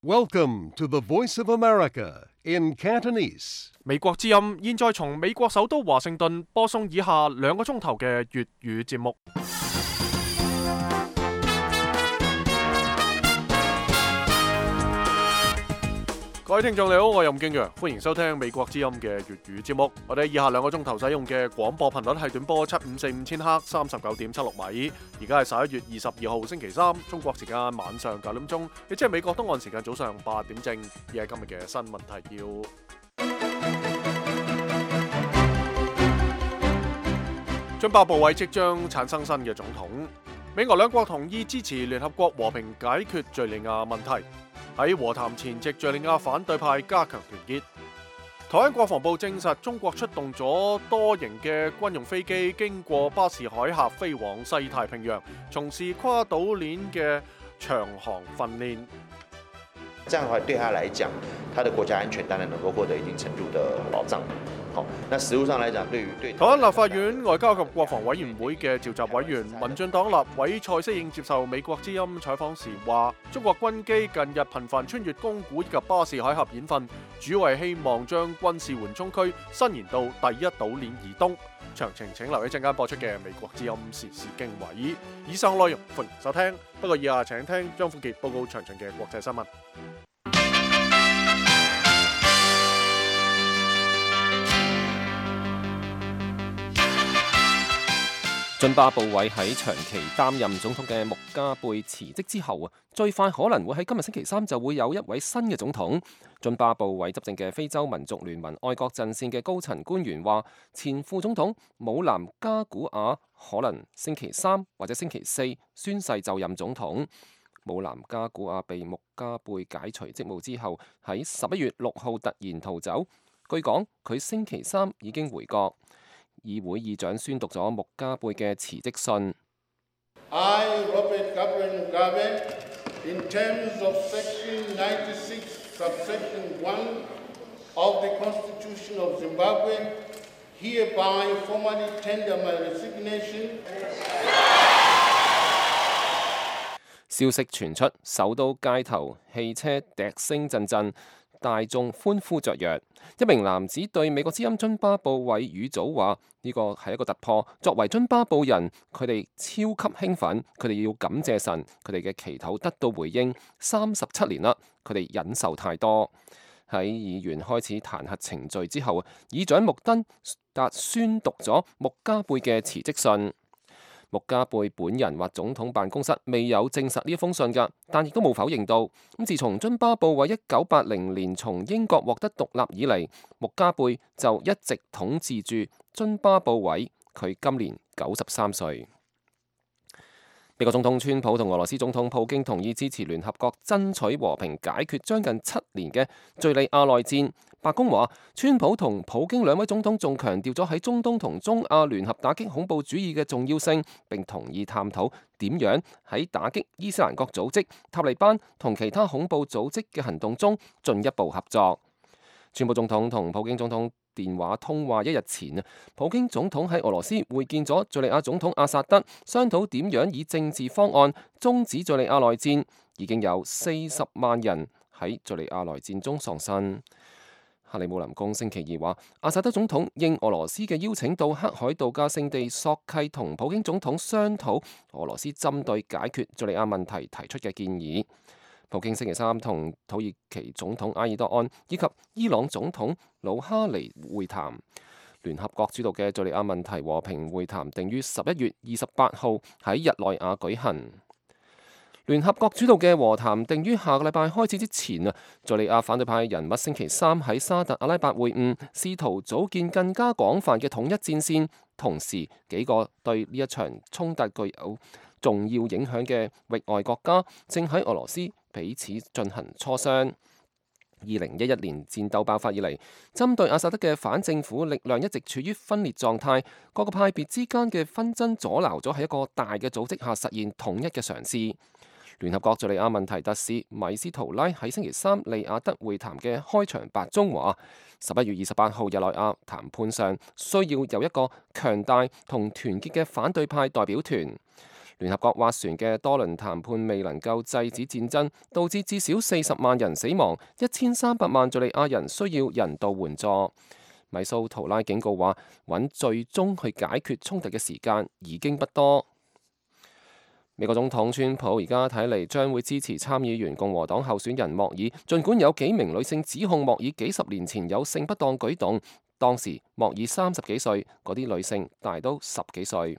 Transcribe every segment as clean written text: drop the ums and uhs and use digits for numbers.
Welcome to the Voice of America in Cantonese. 美國之音現在從美國首都華盛頓播送以下2個鐘頭嘅粵語節目。各位聽眾你好，我係任敬揚，歡迎收聽美國之音嘅粵語節目。我哋以下2個鐘頭使用嘅廣播頻率係短波7545千赫39.76米。而家係11月22號星期三，中國時間晚上9點鐘，亦即係美國東岸時間早上8點正。以係今日嘅新聞提要。津巴布韋即將產生新嘅總統。美俄兩國同意支持聯合國和平解決敘利亞問題。喺和談前夕，敘利亞反對派加強團結。台灣國防部證實，中國出動咗多型嘅軍用飛機，經過巴士海峽飛往西太平洋，從事跨島鏈嘅長航訓練。這樣的話，對他來講，他的國家安全當然能夠獲得一定程度的保障。好，那實務上來講，對台灣立法院外交及國防委員會嘅召集委員、民進黨立委蔡適應接受美國之音採訪時話，中國軍機近日頻繁穿越宮古以及巴士海峽演訓，主要係希望將軍事緩衝區伸延到第一島鏈以東。詳情請留意陣間播出嘅美國之音時事經緯。以上內容歡迎收聽，不過以下請聽張富傑報告詳盡嘅國際新聞。津巴布韋喺長期擔任總統嘅穆加貝辭職之後最快可能會喺今日星期三就會有一位新嘅總統。津巴布韋執政嘅非洲民族聯盟愛國陣線嘅高層官員話，前副總統姆南加古瓦可能星期三或者星期四宣誓就任總統。姆南加古瓦被穆加貝解除職務之後，喺11月6號突然逃走。據講，佢星期三已經回國。議會議長宣讀咗穆加貝嘅辭職信。I, Robert Gabriel Mugabe, in terms of Section 96, subsection 1 of the Constitution of Zimbabwe, hereby formally tender my resignation. 消息傳出，首都街頭汽車笛聲陣陣，大眾歡呼雀躍。一名男子對美國之音津巴布韋語組話：呢個係一個突破。作為津巴布人，佢哋超級興奮，佢哋要感謝神，佢哋嘅祈禱得到回應。37年啦，佢哋忍受太多。喺議員開始彈劾程序之後，議長穆登達宣讀咗穆加貝嘅辭職信。穆加貝本人或總統辦公室未有證實呢一封信㗎，但亦都冇否認到。自從津巴布韋1980年從英國獲得獨立以嚟，穆加貝就一直統治住津巴布韋。佢今年93歲。美國總統川普同俄羅斯總統普京同意支持聯合國爭取和平解決將近7年嘅敘利亞內戰。白宮話，川普同普京兩位總統仲強調咗喺中東同中亞聯合打擊恐怖主義嘅重要性，並同意探討點樣喺打擊伊斯蘭國組織、塔利班同其他恐怖組織嘅行動中進一步合作。川普總統同普京總統電話通話1日前，普京總統喺俄羅斯會見咗敘利亞總統阿薩德，商討點樣以政治方案終止敘利亞內戰。已經有40萬人喺敘利亞內戰中喪生。克里姆林宮星期二話，阿薩德總統應俄羅斯嘅邀請到黑海度假勝地索契同普京總統商討俄羅斯針對解決敘利亞問題提出嘅建議。普京星期三同土耳其總統埃爾多安以及伊朗總統魯哈尼會談。聯合國主導嘅敘利亞問題和平會談定於11月28號喺日內瓦舉行。聯合國主導嘅和談定於下個禮拜開始之前，敘利亞反對派人物星期三喺沙特阿拉伯會晤，試圖組建更加廣泛嘅統一戰線。同時，幾個對呢一場衝突具有重要影響嘅域外國家正喺俄羅斯彼此進行磋商。2011年戰鬥爆發以嚟，針對阿薩德嘅反政府力量一直處於分裂狀態，各個派別之間嘅紛爭阻撓咗喺一個大嘅組織下實現統一嘅嘗試。聯合國敘利亞問題特使米斯圖拉喺星期三利雅得會談嘅開場白中話，11月28號日內瓦談判上需要有一個強大同團結嘅反對派代表團。聯合國斡旋嘅多輪談判未能夠制止戰爭，導致至少40萬人死亡，1300萬敘利亞人需要人道援助。米蘇圖拉警告話，揾最終去解決衝突嘅時間已經不多。美國總統川普而家睇嚟將會支持參議員共和黨候選人莫爾，儘管有幾名女性指控莫爾幾十年前有性不當舉動，當時莫爾30幾歲，嗰啲女性大都10幾歲。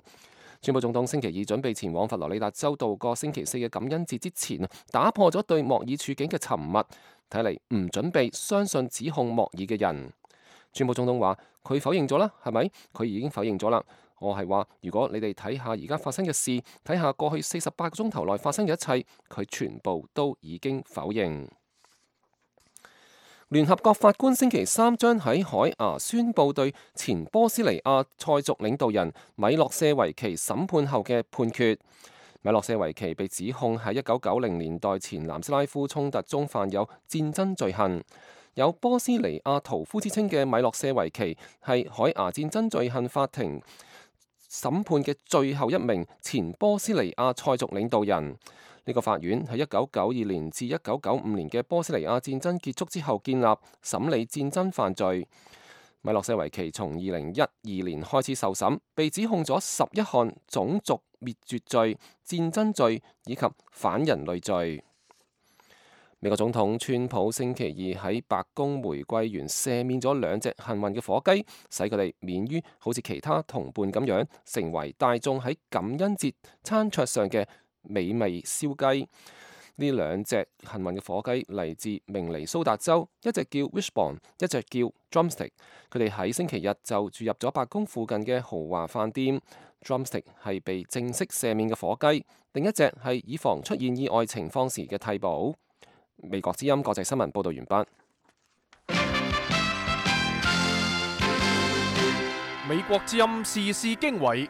川普總統星期二準備前往佛羅里達州度過星期4嘅感恩節之前，打破咗對莫爾處境嘅沉默，睇嚟唔準備相信指控莫爾嘅人。川普總統話：佢否認咗啦，係咪？佢已經否認咗啦。我係話，如果你哋睇下而家發生嘅事，睇下過去48個鐘頭內發生嘅一切，佢全部都已經否認。聯合國法官星期3將喺海牙宣布對前波斯尼亞塞族領導人米洛舍維奇審判後嘅判決。米洛舍維奇被指控喺1990年代前南斯拉夫衝突中犯有戰爭罪行。有波斯尼亞屠夫之稱嘅米洛舍維奇係海牙戰爭罪行法庭審判嘅最後一名前波斯尼亞塞族領導人。呢個法院喺1992年至1995年嘅波斯尼亞戰爭結束之後建立，審理戰爭犯罪。米洛舍維奇從2012年開始受審，被指控咗11項種族滅絕罪、戰爭罪以及反人類罪。美國總統川普星期二喺白宮玫瑰園赦免咗2隻幸運嘅火雞，使佢哋免於好似其他同伴咁樣成為大眾喺感恩節餐桌上嘅美味燒雞。呢2隻幸運嘅火雞嚟自明尼蘇達州，一隻叫 Wishbone， 一隻叫 Drumstick。佢哋喺星期日就住入咗白宮附近嘅豪華飯店。Drumstick 係被正式赦免嘅火雞，另一隻係以防出現意外情況時嘅替補。美國之音國際新聞報道完畢。美國之音時事經緯，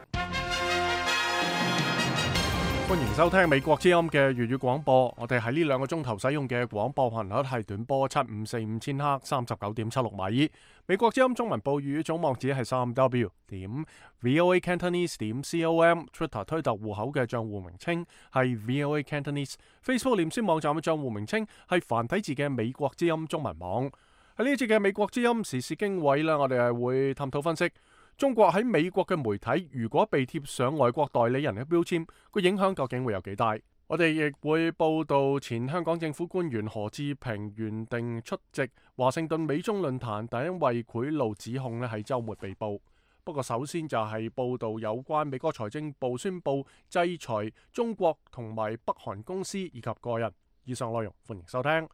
歡迎收聽美國之音嘅粵語廣播。我哋喺呢2個鐘頭使用嘅廣播頻率係短波7545千赫39.76米。美國之音中文部粵語總網址係3w.voacantonese.com，Twitter 推特戶口嘅賬戶名稱係 VOA Cantonese，Facebook 臉書網站嘅賬戶名稱係繁體字嘅美國之音中文網。喺呢一節嘅美國之音時事經緯啦，我哋係會探討分析中國喺美國嘅媒體如果被貼上外國代理人嘅標籤，個影響究竟會有幾大？我哋亦會報道前香港政府官員何志平原定出席華盛頓美中論壇，但因為賄賂指控咧喺週末被捕。不過首先就係報道有關美國財政部宣布制裁中國同埋北韓公司以及個人。以上內容歡迎收聽。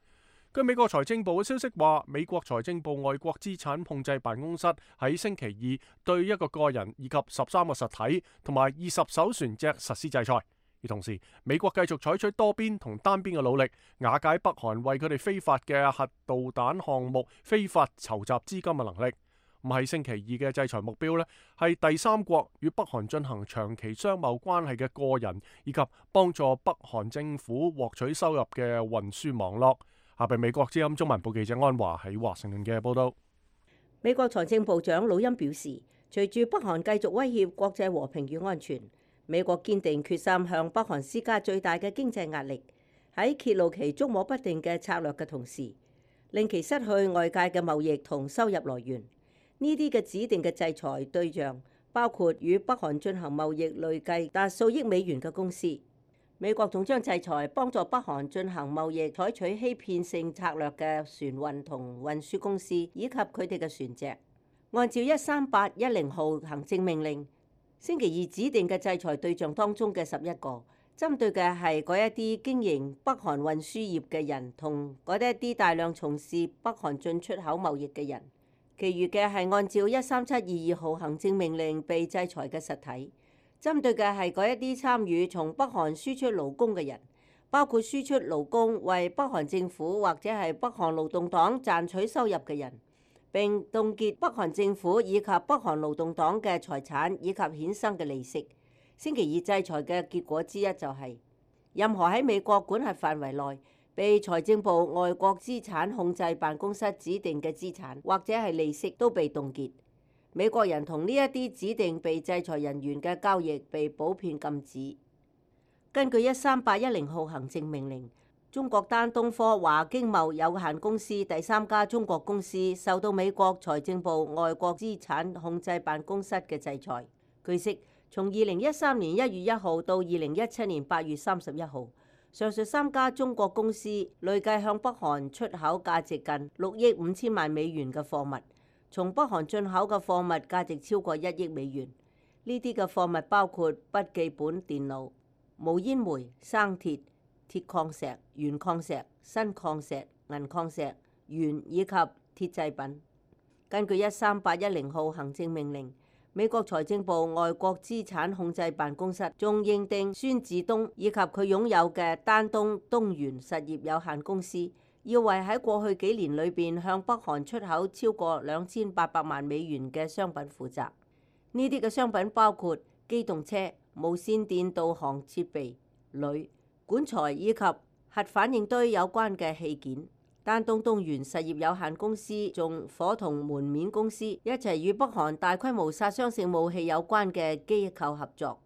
據美國財政部嘅消息話，美國財政部外國資產控制辦公室喺星期2對1個個人以及13個實體同埋20艘船隻實施制裁。而同時，美國繼續採取多邊同單邊嘅努力，瓦解北韓為佢哋非法嘅核導彈項目非法籌集資金嘅能力。喺星期2嘅制裁目標呢，係第三國與北韓進行長期商貿關係嘅個人，以及幫助北韓政府獲取收入嘅運輸網絡。下邊美國之音中文部記者安華喺華盛頓嘅報道。美國財政部長魯欽表示，隨住北韓繼續威脅國際和平與安全，美國堅定決心向北韓施加最大嘅經濟壓力，喺揭露其捉摸不定嘅策略嘅同時，令其失去外界嘅貿易同收入來源。呢啲嘅指定嘅制裁對象包括與北韓進行貿易累計達數億美元嘅公司。美國仲將制裁幫助北韓進行貿易採取欺騙性策略嘅船運同運輸公司，以及佢哋嘅船隻。按照13810號行政命令，星期2指定嘅制裁對象當中嘅11個，針對嘅係嗰一啲經營北韓運輸業嘅人同嗰一啲大量從事北韓進出口貿易嘅人。其餘嘅係按照13722號行政命令被制裁嘅實體，針對嘅係嗰一啲參與從北韓輸出勞工嘅人，包括輸出勞工為北韓政府或者係北韓勞動黨賺取收入嘅人，並凍結北韓政府以及北韓勞動黨嘅財產以及衍生嘅利息。星期2制裁嘅結果之一就係，任何喺美國管轄範圍內被財政部外國資產控制辦公室指定嘅資產或者係利息都被凍結。美國人同呢一啲指定被制裁人員嘅交易被普遍禁止。根據13810號行政命令，中國丹東科華經貿有限公司第3家中國公司受到美國財政部外國資產控制辦公室嘅制裁。據悉，從2013年1月1號到2017年8月31號，上述3家中國公司累計向北韓出口價值近6億5千萬美元嘅貨物，從北韓進口嘅貨物價值超過1億美元。呢啲嘅貨物包括筆記本電腦、無煙煤、生鐵、鐵礦石、鉛礦石、砷礦石、銀礦石、鉛以及鐵製品。根據13810號行政命令，美國財政部外國資產控制辦公室仲認定孫志東以及佢擁有嘅丹東東元實業有限公司，要為喺過去幾年裏邊向北韓出口超過2800萬美元嘅商品負責。呢啲嘅商品包括機動車、無線電導航設備、鋁、管材以及核反應堆有關嘅器件。丹東東元實業有限公司仲夥同門面公司一齊與北韓大規模殺傷性武器有關嘅機構合作。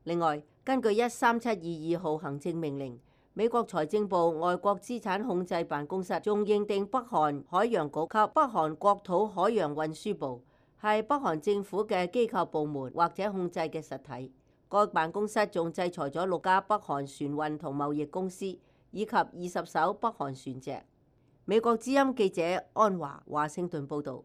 另外，根據13722號行政命令，美國財政部外國資產控制辦公室仲認定北韓海洋局及北韓國土海洋運輸部係北韓政府嘅機構部門或者控制嘅實體。該辦公室仲制裁咗6家北韓船運同貿易公司，以及20艘北韓船隻。美國之音記者安華華盛頓報導。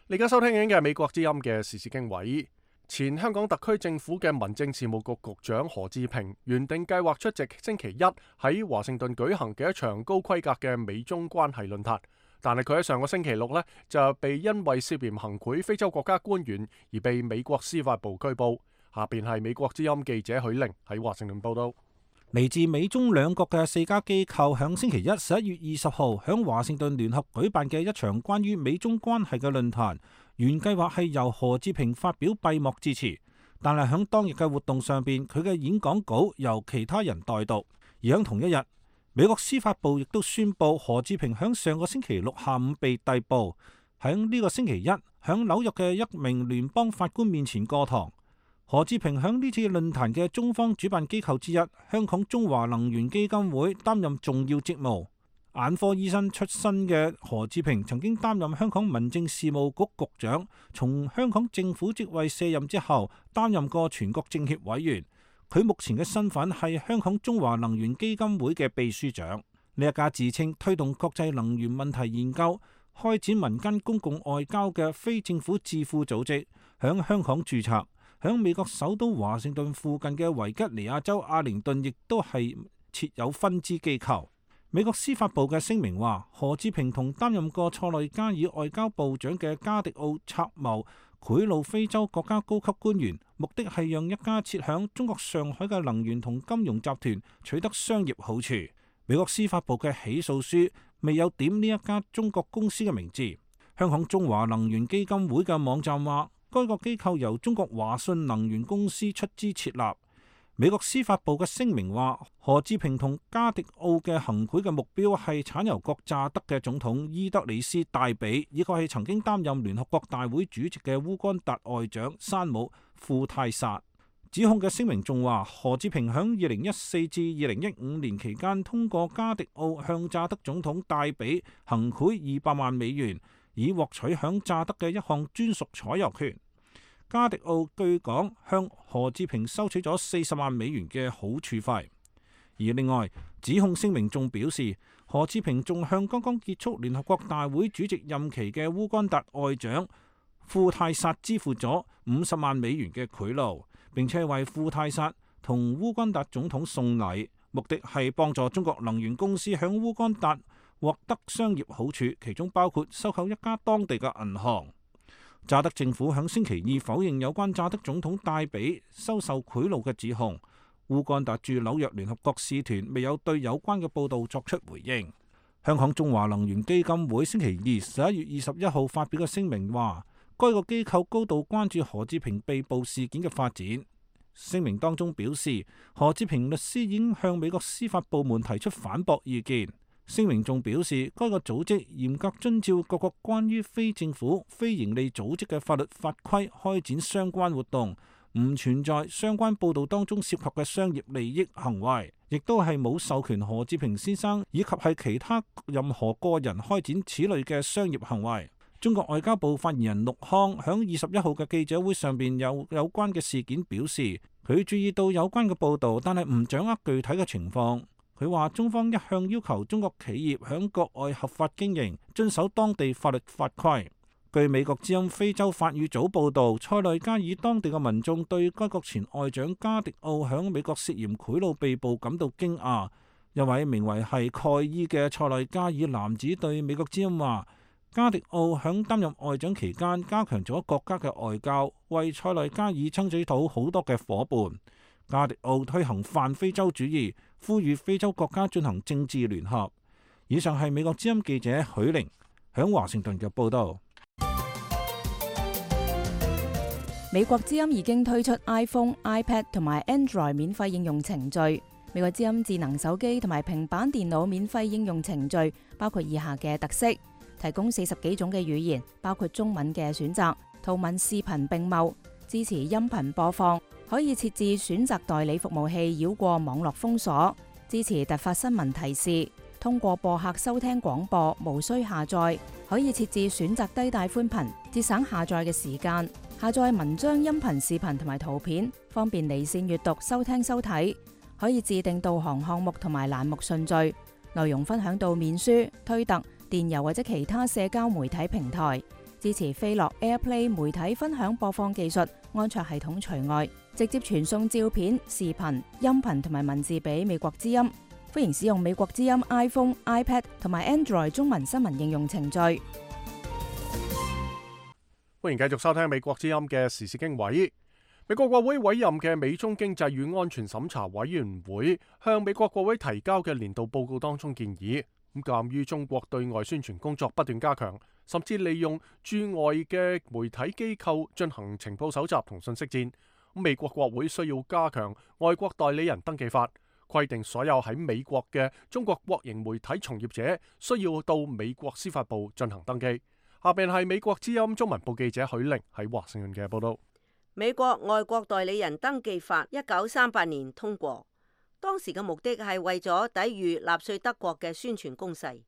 你而家收聽緊嘅係美國之音嘅時事經緯。前香港特區政府嘅民政事務局局長何志平原定計劃出席星期一喺華盛頓舉行嘅一場高規格嘅美中關係論壇，但係佢喺上個星期六呢，就被因為涉嫌行賄非洲國家官員而被美國司法部拘捕。下邊係美國之音記者許玲喺華盛頓報道。嚟自美中兩國嘅4家機構響星期一11月20號響華盛頓聯合舉辦嘅一場關於美中關係嘅論壇，原計劃係由何志平發表閉幕致辭，但係響當日嘅活動上邊，佢嘅演講稿由其他人代讀。而響同一日，美國司法部亦都宣布何志平響上個星期六下午被逮捕，響呢個星期一響紐約嘅一名聯邦法官面前過堂。何志平響呢次論壇嘅中方主辦機構之一香港中華能源基金會擔任重要職務。眼科醫生出身嘅何志平曾經擔任香港民政事務局局長，從香港政府職位卸任之後擔任過全國政協委員。佢目前嘅身份係香港中華能源基金會嘅秘書長。呢一家自稱推動國際能源問題研究、開展民間公共外交嘅非政府智庫組織，響香港註冊。響美國首都華盛頓附近嘅維吉尼亞州阿靈頓亦都係設有分支機構。美國司法部嘅聲明話，何志平同擔任過塞內加爾外交部長嘅加迪奧策謀賄賂非洲國家高級官員，目的係讓一家設響中國上海嘅能源同金融集團取得商業好處。美國司法部嘅起訴書未有點呢一家中國公司嘅名字。香港中華能源基金會嘅網站話，該個機構由中國華信能源公司出資設立。美國司法部嘅聲明話，何志平同加迪奧嘅行賄嘅目標係產油國乍得嘅總統伊德里斯戴比，以及係曾經擔任聯合國大會主席嘅烏干達外長山姆庫泰薩。指控嘅聲明仲話，何志平響2014至2015年期間通過加迪奧向乍得總統戴比行賄200萬美元，以獲取響乍得嘅一項專屬採油權。加迪奧據講向何志平收取咗40萬美元嘅好處費。而另外，指控聲明仲表示，何志平仲向剛剛結束聯合國大會主席任期嘅烏干達外長庫泰薩支付咗50萬美元嘅賄賂，並且為庫泰薩同烏干達總統送禮，目的係幫助中國能源公司響烏干達獲得商業好處，其中包括收購一家當地嘅銀行。乍得政府響星期二否認有關乍得總統戴比收受賄賂嘅指控。烏干達駐紐約聯合國使團未有對有關嘅報道作出回應。香港中華能源基金會星期二11月21號發表嘅聲明話，該個機構高度關注何志平被捕事件嘅發展。聲明當中表示，何志平律師已經向美國司法部門提出反駁意見。聲明仲表示，該個組織嚴格遵照各國關於非政府、非營利組織嘅法律法規開展相關活動，唔存在相關報導當中涉及嘅商業利益行為，亦都係冇授權何志平先生以及係其他任何個人開展此類嘅商業行為。中國外交部發言人陸康響21號嘅記者會上邊有關嘅事件表示，佢注意到有關嘅報導，但係唔掌握具體嘅情況。佢話中方一向要求中國企業響國外合法經營，遵守當地法律法規。據美國之音非洲法語組報導，塞內加爾當地嘅民眾對該國前外長加迪奧響美國涉嫌賄賂被捕感到驚訝。一位名為係蓋伊嘅塞內加爾男子對美國之音話，加迪奧響擔任外長期間加強咗國家嘅外交，為塞內加爾爭取到好多嘅夥伴。加迪奧推行泛非洲主義，呼籲非洲國家進行政治聯合。以上係美國之音記者許玲響華盛頓嘅報道。美國之音已經推出 iPhone、iPad 同埋 Android 免費應用程序。美國之音智能手機同埋平板電腦免費應用程序包括以下嘅特色：提供40幾種嘅語言，包括中文嘅選擇，圖文視頻並茂，支持音頻播放，可以設置選擇代理服務器繞過網絡封鎖，支持突發新聞提示，通過播客收聽廣播，無需下載，可以設置選擇低帶寬頻，節省下載嘅時間，下載文章、音頻、視頻同埋圖片，方便離線閱讀、收聽收睇，可以自定導航項目同埋欄目順序，內容分享到面書、推特、電郵或者其他社交媒體平台，支持飛樂 AirPlay 媒體分享播放技術，安卓系統除外，直接傳送照片、視頻、音頻同埋文字俾美國之音。歡迎使用美國之音 iPhone、iPad 同埋 Android 中文新聞應用程序。歡迎繼續收聽美國之音嘅時事經緯。美國國會委任嘅美中經濟與安全審查委員會向美國國會提交嘅年度報告當中建議，鑑於中國對外宣傳工作不斷加強，甚至利用駐外嘅媒體機構進行情報搜集同信息戰，美國國會需要加強外國代理人登記法，規定所有喺美國嘅中國國營媒體從業者需要到美國司法部進行登記。下邊係美國之音中文部記者許玲喺華盛頓嘅報道。美國外國代理人登記法1938年通過，當時嘅目的係為咗抵禦納粹德國嘅宣傳攻勢，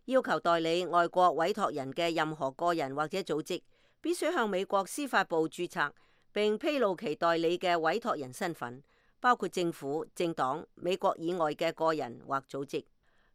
要求代理外國委託人嘅任何個人或者組織必須向美國司法部註冊，並披露其代理嘅委託人身份，包括政府、政黨、美國以外嘅個人或組織。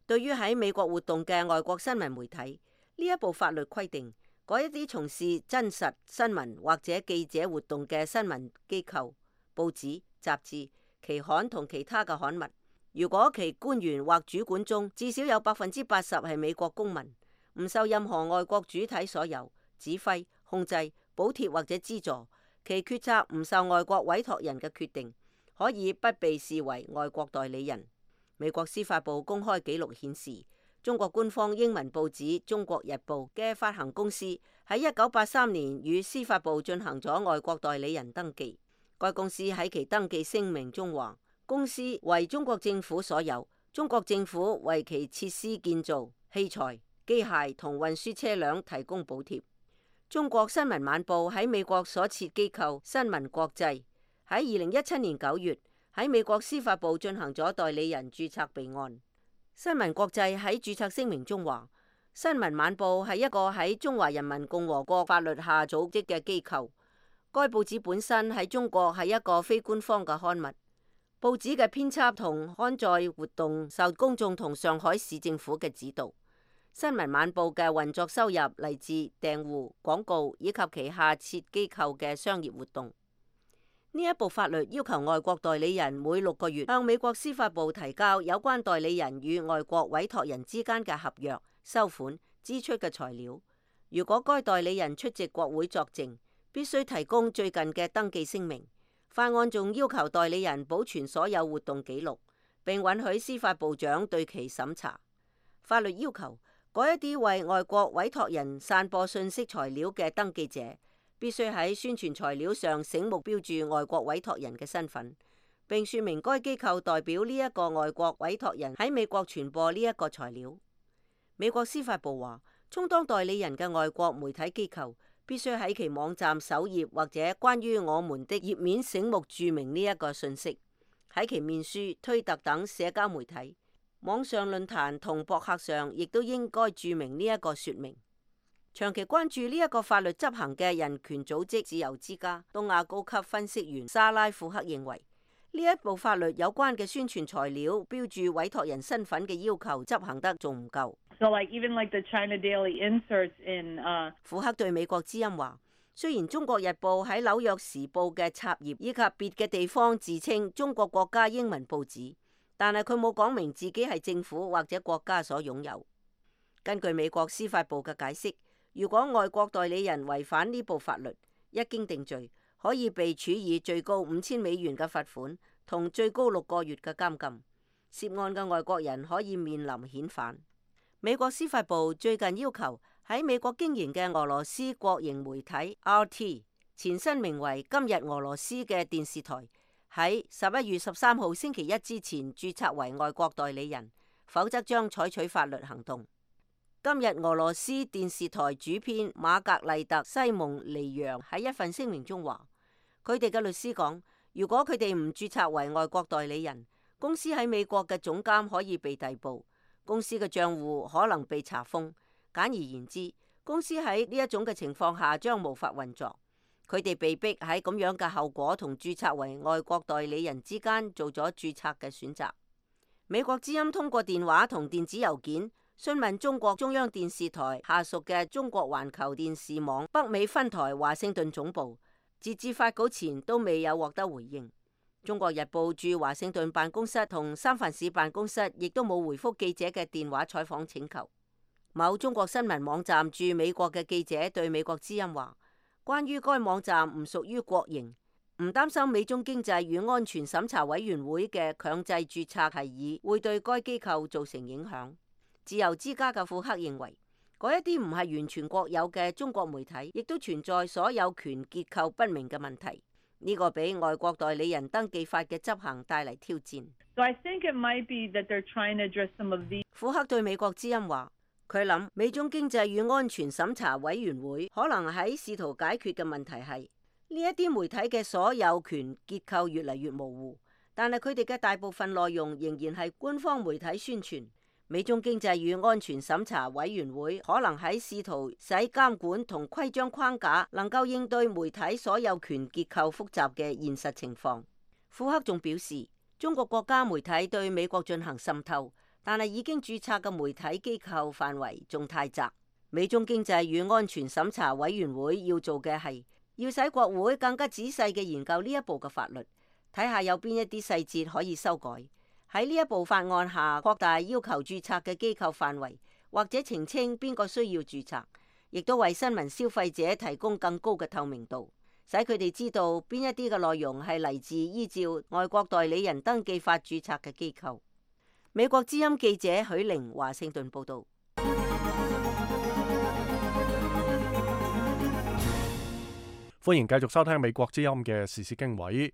對於喺美國活動嘅外國新聞媒體，呢一部法律規定，嗰一啲從事真實新聞或者記者活動嘅新聞機構、報紙、雜誌、期刊同其他嘅刊物，如果其官員或主管中至少有80%係美國公民，唔受任何外國主體所有指揮、控制、補貼或者資助，其決策唔受外國委託人嘅決定，可以不被視為外國代理人。美國司法部公開記錄顯示，中國官方英文報紙《中國日報》嘅發行公司喺1983年與司法部進行咗外國代理人登記。該公司喺其登記聲明中話，公司為中國政府所有，中國政府為其設施建造、器材、機械同運輸車輛提供補貼。中國新聞晚報喺美國所設機構新聞國際喺2017年9月喺美國司法部進行咗代理人註冊備案。新聞國際喺註冊聲明中話，新聞晚報係一個喺中華人民共和國法律下組織嘅機構。該報紙本身喺中國係一個非官方嘅刊物。報紙嘅編輯同刊載活動受公眾同上海市政府嘅指導。新聞晚報嘅運作收入嚟自訂戶、廣告以及旗下設機構嘅商業活動。呢一部法律要求外國代理人每6個月向美國司法部提交有關代理人與外國委託人之間嘅合約、收款、支出嘅材料。如果該代理人出席國會作證，必須提供最近嘅登記聲明。法案仲要求代理人保存所有活動記錄，並允許司法部長對其審查。法律要求嗰一啲為外國委託人散播信息材料嘅登記者，必須喺宣傳材料上醒目標注外國委託人嘅身份，並說明該機構代表呢一個外國委託人喺美國傳播呢一個材料。美國司法部話，充當代理人嘅外國媒體機構必須喺其網站首頁或者關於我們的頁面醒目註明呢一個信息。喺其面書、推特等社交媒體、網上論壇同博客上，亦都應該註明呢一個說明。長期關注呢一個法律執行嘅人權組織自由之家東亞高級分析員莎拉庫克認為，呢一部法律有關嘅宣傳材料標注委託人身份嘅要求執行得仲唔夠。庫克對美國之音話，雖然中國日報喺紐約時報嘅插頁以及別嘅地方自稱中國國家英文報紙，但係佢冇講明自己係政府或者國家所擁有。根據美國司法部嘅解釋，如果外國代理人違反呢部法律，一經定罪，可以被處以最高$5000嘅罰款同最高6個月嘅監禁。涉案嘅外國人可以面臨遣返。美國司法部最近要求喺美國經營嘅俄羅斯國營媒體 RT 前身名為今日俄羅斯嘅電視台，喺11月13號星期一之前註冊為外國代理人，否則將採取法律行動。今日俄羅斯電視台主編瑪格麗特·西蒙尼揚喺一份聲明中話，佢哋嘅律師講，如果佢哋唔註冊為外國代理人，公司喺美國嘅總監可以被逮捕，公司嘅賬戶可能被查封。簡而言之，公司喺呢一種嘅情況下將無法運作。佢哋被逼喺咁樣嘅後果同註冊為外國代理人之間做咗註冊嘅選擇。美國之音通過電話同電子郵件詢問中國中央電視台下屬嘅中國環球電視網北美分台華盛頓總部，截至發稿前都未有獲得回應。中國日報駐華盛頓辦公室同三藩市辦公室亦都冇回覆記者嘅電話採訪請求。某中國新聞網站駐美國嘅記者對美國之音話，關於該網站唔屬於國營，唔擔心美中經濟與安全審查委員會嘅強制註冊提議會對該機構造成影響。自由之家嘅庫克認為，嗰一啲唔係完全國有嘅中國媒體，亦都存在所有權結構不明嘅問題。呢個俾外國代理人登記法嘅執行帶嚟挑戰。庫克對美國之音話，佢諗美中經濟與安全審查委員會可能喺試圖解決嘅問題係呢一啲媒體嘅所有權結構越嚟越模糊，但係佢哋嘅大部分內容仍然係官方媒體宣傳。美中經濟與安全審查委員會可能喺試圖使監管同規章框架能夠應對媒體所有權結構複雜嘅現實情況。庫克仲表示，中國國家媒體對美國進行滲透，但係已經註冊嘅媒體機構範圍仲太窄。美中經濟與安全審查委員會要做嘅係要使國會更加仔細嘅研究呢一部嘅法律，睇下有邊一啲細節可以修改。喺呢一部法案下擴大要求註冊嘅機構範圍，或者澄清邊個需要註冊，亦都為新聞消費者提供更高嘅透明度，使佢哋知道邊一啲嘅內容係嚟自依照外國代理人登記法註冊嘅機構。美國之音記者許玲華盛頓報道。歡迎繼續收聽美國之音嘅時事經緯。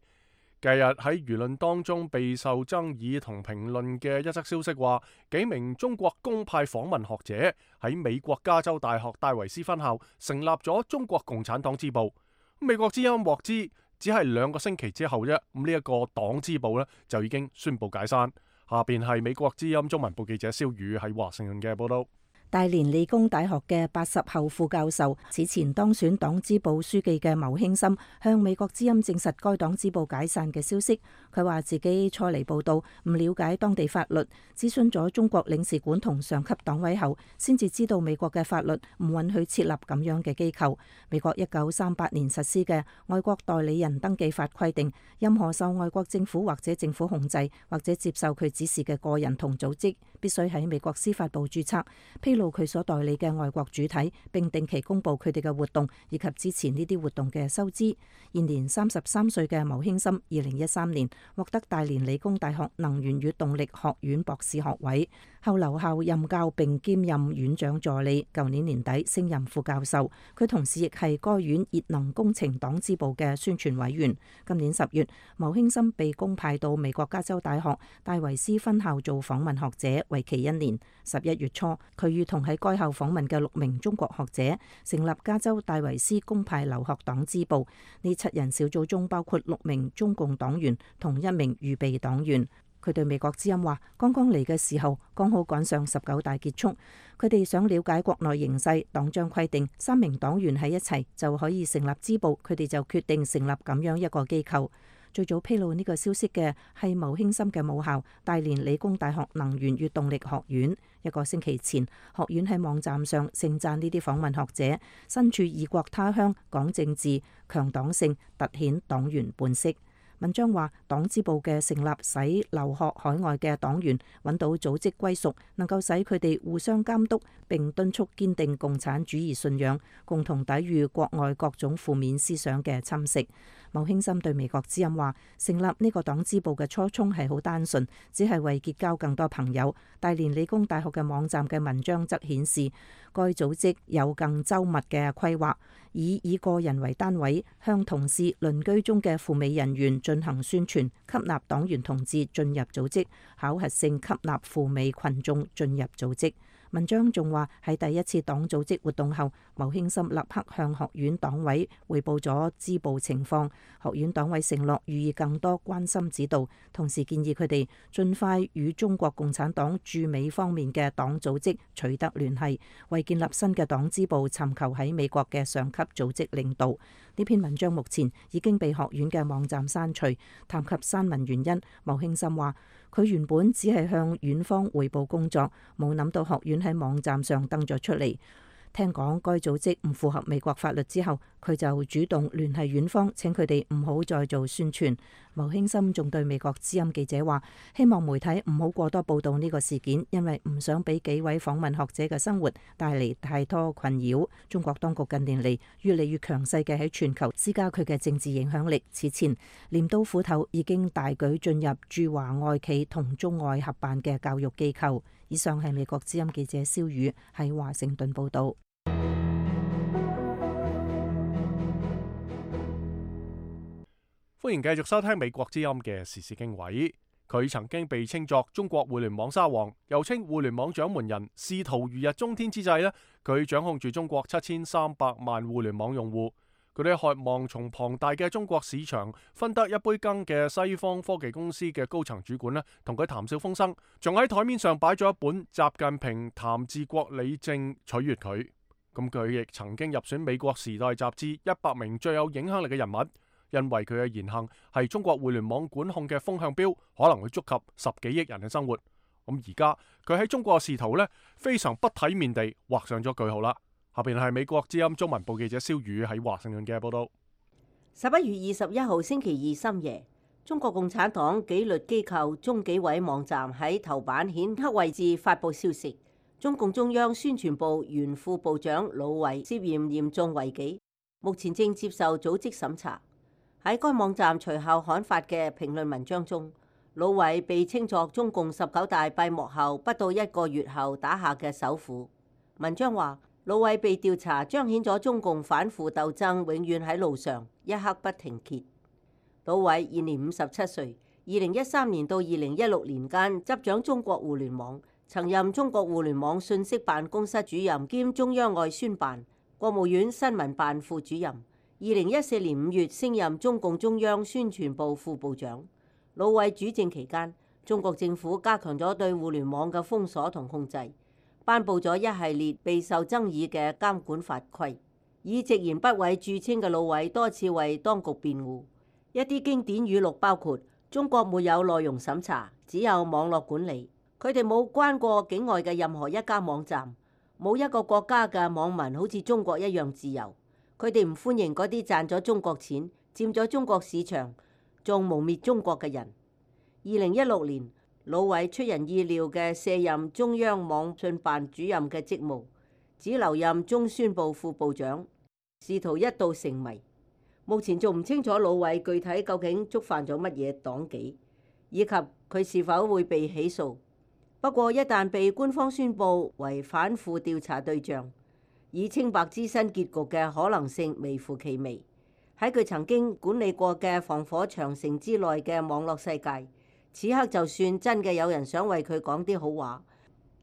近日喺輿論當中備受爭議同評論嘅一則消息話，幾名中國公派訪問學者喺美國加州大學戴維斯分校成立咗中國共產黨支部。美國之音獲知只係2個星期之後啫，呢一個黨支部就已經宣布解散。下邊係美國之音中文部記者蕭宇喺華盛頓嘅報道。大連理工大學嘅80後副教授，此前當選黨支部書記嘅牟興森向美國之音證實該黨支部解散嘅消息。佢話自己初嚟報道，唔了解當地法律，諮詢咗中國領事館同上級黨委後，先至知道美國嘅法律唔允許設立咁樣嘅機構。美國1938年實施嘅外國代理人登記法規定，任何受外國政府或者政府控制或者接受佢指示嘅個人同組織，必須喺美國司法部註冊，披露佢所代理嘅外國主體，並定期公布佢哋嘅活動以及支持呢啲活動嘅收支。現年33歲嘅牟興森2013年獲得大連理工大學能源與動力學院博士學位，後留校任教並兼任院長助理。舊年年底升任副教授，佢同時亦係該院熱能工程黨支部嘅宣傳委員。今年10月，牟興森被公派到美國加州大學戴維斯分校做訪問學者，為期1年。11月初，佢與同喺該校訪問嘅6名中國學者，成立加州戴維斯公派留學黨支部。呢7人小組中包括6名中共黨員同1名預備黨員。佢對美國之音話：剛剛嚟嘅時候，剛好趕上19大結束。佢哋想了解國內形勢，黨章規定3名黨員喺一齊就可以成立支部，佢哋就決定成立咁樣一個機構。最早披露呢個消息嘅係牟興森嘅母校大連理工大學能源與動力學院。1個星期前，學院喺網站上盛讚呢啲訪問學者身處異國他鄉，講政治、強黨性，凸顯黨員本色。文章話，黨支部嘅成立使留學海外嘅黨員揾到組織歸屬，能夠使佢哋互相監督，並敦促堅定共產主義信仰，共同抵禦國外各種負面思想嘅侵蝕。牟興森對美國之音話，成立呢個黨支部嘅初衷係好單純，只係為結交更多朋友。大連理工大學嘅網站嘅文章則顯示，該組織有更周密嘅規劃，以個人為單位，向同事鄰居中嘅赴美人員進行宣傳，吸納黨員同志進入組織，考核性吸納赴美群眾進入組織。文章仲話，喺第一次黨組織活動後，牟興森立刻向學院黨委匯報咗支部情況。學院黨委承諾予以更多關心指導，同時建議佢哋盡快與中國共產黨駐美方面嘅黨組織取得聯繫，為建立新嘅黨支部尋求喺美國嘅上級組織領導。呢篇文章目前已經被學院嘅網站刪除。談及刪文原因，牟興森話，佢原本只係向院方匯報工作，冇諗到學院喺網站上登咗出嚟。聽講該組織唔符合美國法律之後，佢就主動聯繫院方，請佢哋唔好再做宣傳。牟興森仲對美國之音記者話，希望媒體唔好過多報道呢個事件，因為唔想俾幾位訪問學者嘅生活帶嚟太多困擾。中國當局近年嚟越嚟越強勢嘅喺全球施加佢嘅政治影響力。此前鐮刀斧頭已經大舉進入駐華外企同中外合辦嘅教育機構。以上係美國之音記者蕭宇喺華盛頓報道。歡迎繼續收聽美國之音嘅時事經緯。佢曾經被稱作中國互聯網沙皇，又稱互聯網掌門人。仕途如日中天之際呢，佢掌控住中國7300萬互聯網用戶。佢哋渴望從龐大嘅中國市場分得一杯羹嘅西方科技公司嘅高層主管呢，同佢談笑風生，仲喺台面上擺咗一本習近平談治國理政取悅佢。咁佢亦曾經入選美國時代雜誌100名最有影響力嘅人物。因為佢嘅言行係中國互聯網管控嘅風向標，可能會觸及10幾億人嘅生活。咁而家佢喺中國嘅仕途呢，非常不體面地畫上咗句號啦。下邊係美國之音中文部記者蕭宇喺華盛頓嘅報道。11月21號星期二深夜，中國共產黨紀律機構中紀委網站喺頭版顯黑位置發布消息，中共中央宣傳部原副部長魯偉涉嫌嚴重違紀，目前正接受組織審查。喺該網站隨後刊發嘅評論文章中，魯偉被稱作中共19大閉幕後不到1個月後打下嘅首虎。文章話，魯偉被調查彰顯咗中共反腐鬥爭永遠喺路上，一刻不停歇。魯偉現年57歲，2013年到2016年間執掌中國互聯網，曾任中國互聯網信息辦公室主任兼中央外宣辦、國務院新聞辦副主任。2014年5月升任中共中央宣傳部副部長。魯偉主政期間，中國政府加強咗對互聯網嘅封鎖同控制，頒布咗一系列備受爭議嘅監管法規。以直言不諱著稱嘅魯偉多次為當局辯護。一啲經典語錄包括：中國沒有內容審查，只有網絡管理。佢哋冇關過境外嘅任何一家網站，冇一個國家嘅網民好似中國一樣自由。佢哋唔歡迎嗰啲賺咗中國錢、佔咗中國市場、仲誣衊中國嘅人。2016年，魯偉出人意料嘅卸任中央網信辦主任嘅職務，只留任中宣部副部長，仕途一度成謎。目前仲唔清楚魯偉具體究竟觸犯咗乜嘢黨紀，以及佢是否會被起訴。不過一旦被官方宣佈為反腐調查對象，以清白之身結局嘅可能性微乎其微。喺佢曾經管理過嘅防火長城之內嘅網絡世界，此刻就算真嘅有人想為佢講啲好話，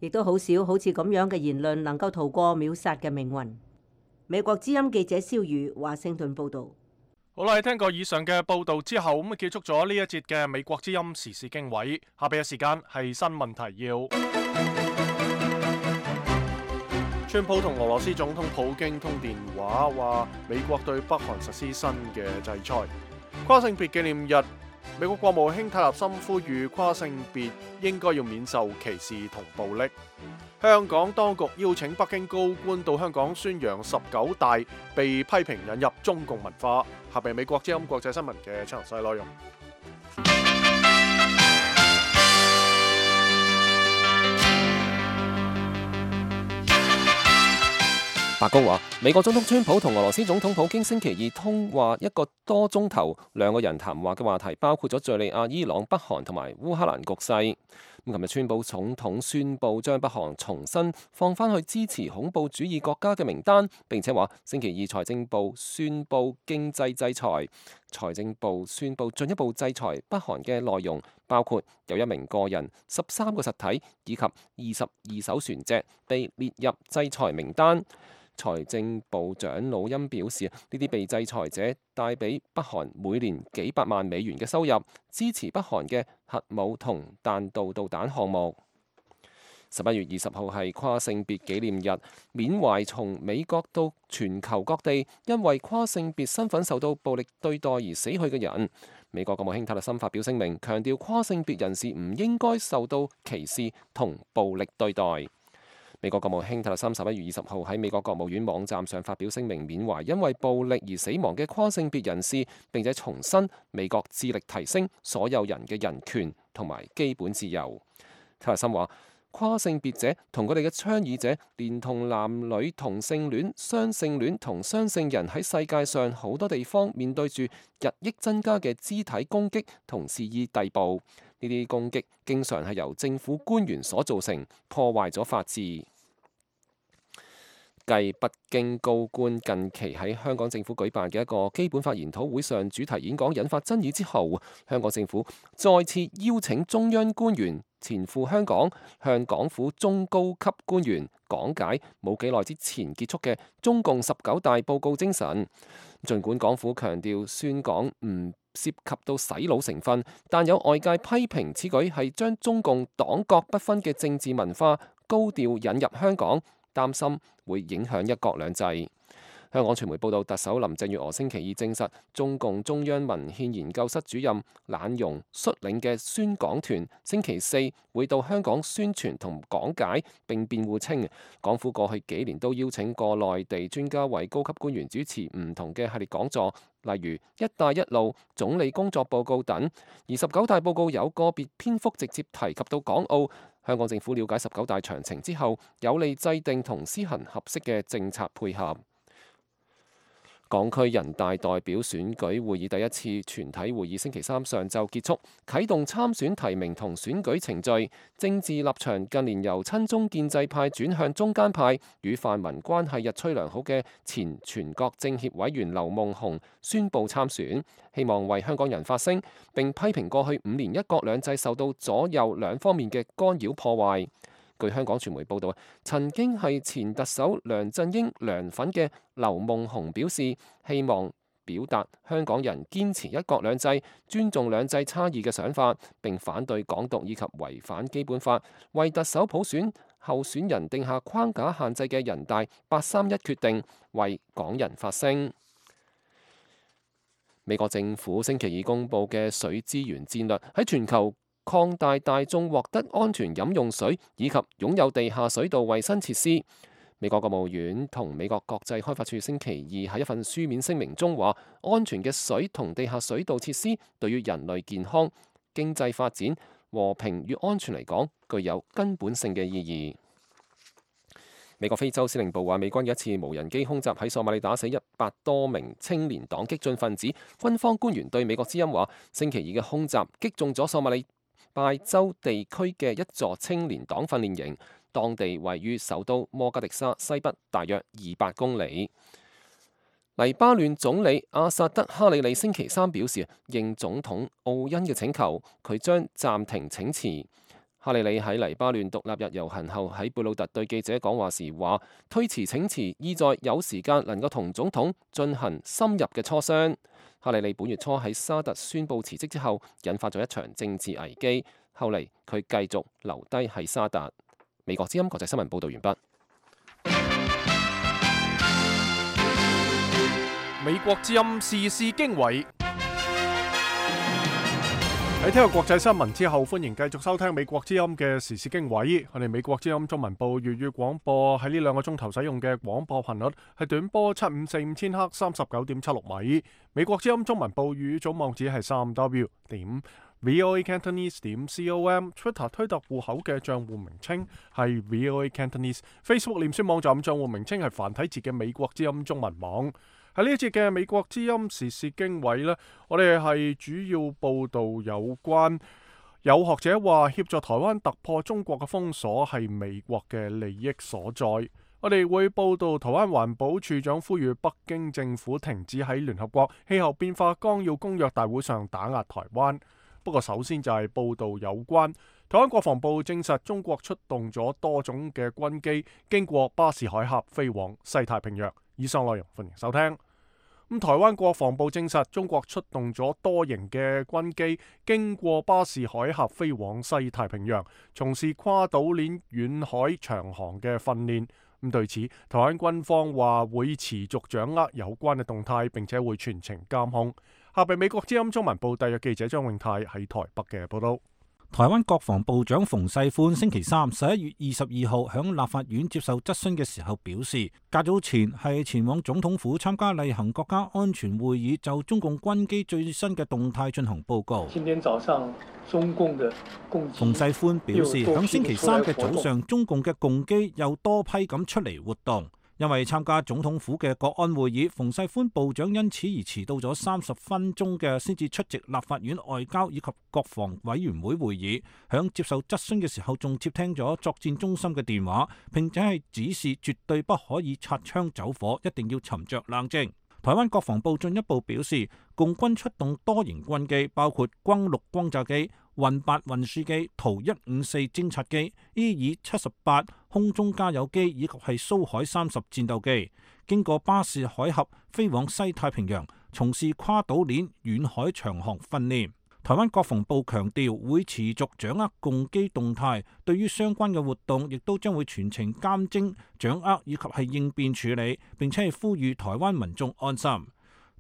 亦都好少好似咁樣嘅言論能夠逃過秒殺嘅命運。美國之音記者蕭宇華盛頓報導。好啦，聽過以上嘅報導之後，咁結束咗呢一節嘅美國之音時事經緯。下邊嘅時間係新聞提要。川普同俄羅斯總統普京通電話，話美國對北韓實施新嘅制裁。跨性別紀念日，美國國務卿泰勒森呼籲跨性別應該要免受歧視同暴力。香港當局邀請北京高官到香港宣揚19大，被批評引入中共文化。下邊美國之音國際新聞嘅詳細內容。白宮話，美國總統川普同俄羅斯總統普京星期二通話1個多鐘頭，兩個人談話嘅話題包括咗敘利亞、伊朗、北韓同埋烏克蘭局勢。咁琴日川普總統宣布將北韓重新放返去支持恐怖主義國家嘅名單，並且話星期二財政部宣布經濟制裁。財政部宣布進一步制裁北韓嘅內容包括有1名個人、13個實體以及22艘船隻被列入制裁名單。財政部長魯欽表示，呢啲被制裁者帶俾北韓每年幾百萬美元嘅收入，支持北韓嘅核武同彈道導彈項目。11月20號係跨性別紀念日，緬懷從美國到全球各地因為跨性別身份受到暴力對待而死去嘅人。美國國務卿泰勒森發表聲明，強調跨性別人士唔應該受到歧視同暴力對待。美國國務卿泰勒森11月20號喺美國國務院網站上發表聲明，緬懷因為暴力而死亡嘅跨性別人士，並且重申美國致力提升所有人嘅人權同埋基本自由。泰勒森話，跨性別者同佢哋嘅倡議者，連同男女同性戀、雙性戀同雙性人喺世界上好多地方面對住日益增加嘅肢體攻擊同肆意逮捕。呢啲攻擊經常係由政府官員所造成，破壞咗法治。繼北京高官近期喺香港政府舉辦嘅一個基本法研討會上主題演講引發爭議之後，香港政府再次邀請中央官員前赴香港，向港府中高級官員講解冇幾耐之前結束嘅中共19大報告精神。儘管港府強調宣講唔涉及到洗腦成分，但有外界批評此舉係將中共黨國不分嘅政治文化高調引入香港，擔心會影響一國兩制。香港傳媒報道，特首林鄭月娥星期二證實，中共中央文獻研究室主任懶容率領嘅宣講團星期四會到香港宣傳同講解，並辯護稱，港府過去幾年都邀請過內地專家為高級官員主持唔同嘅系列講座，例如「一帶一路」、總理工作報告等，而19大報告有個別篇幅直接提及到港澳。香港政府了解19大詳情之後，有利制定同施行合適嘅政策配合。港區人大代表選舉會議第一次全體會議星期三上晝結束，啟動參選提名同選舉程序。政治立場近年由親中建制派轉向中間派，與泛民關係日趨良好嘅前全國政協委員劉夢熊宣布參選，希望為香港人發聲，並批評過去5年一國兩制受到左右兩方面嘅干擾破壞。據香港傳媒報道，曾經係前特首梁振英梁粉嘅劉夢熊表示，希望表達香港人堅持一國兩制、尊重兩制差異嘅想法，並反對港獨以及違反基本法、為特首普選候選人定下框架限制嘅人大831決定，為港人發聲。美國政府星期二公佈嘅水資源戰略喺全球擴大大眾獲得安全飲用水以及擁有地下水道衛生設施。美國國務院同美國國際開發署星期二喺一份書面聲明中話，安全嘅水同地下水道設施對於人類健康、經濟發展、和平與安全嚟講，具有根本性嘅意義。美國非洲司令部話，美軍嘅一次無人機空襲喺索馬里打死100多名青年黨激進分子。軍方官員對美國之音話，星期二嘅空襲擊中咗索馬里拜州地區嘅一座青年黨訓練營，當地位於首都摩加迪沙西北大約200公里。黎巴嫩總理阿薩德哈里里星期三表示，應總統奧恩嘅請求，佢將暫停請辭。哈里里喺黎巴嫩獨立日遊行後喺貝魯特對記者講話時話，推遲請辭意在有時間能夠同總統進行深入嘅磋商。哈里里本月初喺沙特宣布辭職之後，引發咗一場政治危機。後嚟佢繼續留低喺沙特。美國之音國際新聞報導完畢。美國之音時事經緯。喺聽過國際新聞之後，歡迎繼續收聽美國之音嘅時事經緯。我哋美國之音中文部粵語廣播喺呢2個鐘頭使用嘅廣播頻率係短波7545千赫39.76米。美國之音中文部粵語總網址係3w.voacantonese.com。Twitter 推特戶口嘅賬戶名稱係 VOA Cantonese。Facebook 臉書網站賬戶名稱係繁體字嘅美國之音中文網。喺呢一節嘅美國之音時事經緯呢，我哋係主要報導有關有學者話協助台灣突破中國嘅封鎖係美國嘅利益所在。我哋會報導台灣環保署長呼籲北京政府停止喺聯合國氣候變化綱要公約大會上打壓台灣。不過首先就係報導有關台灣國防部證實中國出動咗多種嘅軍機經過巴士海峽飛往西太平洋。以上內容歡迎收聽。台灣國防部證實中國出動咗多型嘅軍機經過巴士海峽飛往西太平洋，從事跨島鏈遠海長航嘅訓練。對此，台灣軍方話會持續掌握有關嘅動態，並且會全程監控。下邊美國之音中文部特約記者張永泰喺台北嘅報道。台灣國防部長馮世寬星期三11月22號響立法院接受質詢嘅時候表示，較早前係前往總統府參加例行國家安全會議，就中共軍機最新嘅動態進行報告。今天早上中共嘅共機，馮世寬表示，響星期三嘅早上，中共嘅共機又多批咁出嚟活動。因為參加總統府嘅國安會議，馮世寬部長因此而遲到咗30分鐘嘅，先至出席立法院外交以及國防委員會會議。響接受質詢嘅時候，仲接聽咗作戰中心嘅電話，並且係指示絕對不可以擦槍走火，一定要沉着冷靜。台灣國防部進一步表示，共軍出動多型軍機，包括轟6轟炸機、運8運輸機、圖154偵察機、EE-78空中加油機以及係蘇海30戰鬥機，經過巴士海峽飛往西太平洋，從事跨島鏈遠海長航訓練。台灣國防部強調會持續掌握共機動態，對於相關嘅活動亦都將會全程監偵、掌握以及係應變處理，並且係呼籲台灣民眾安心。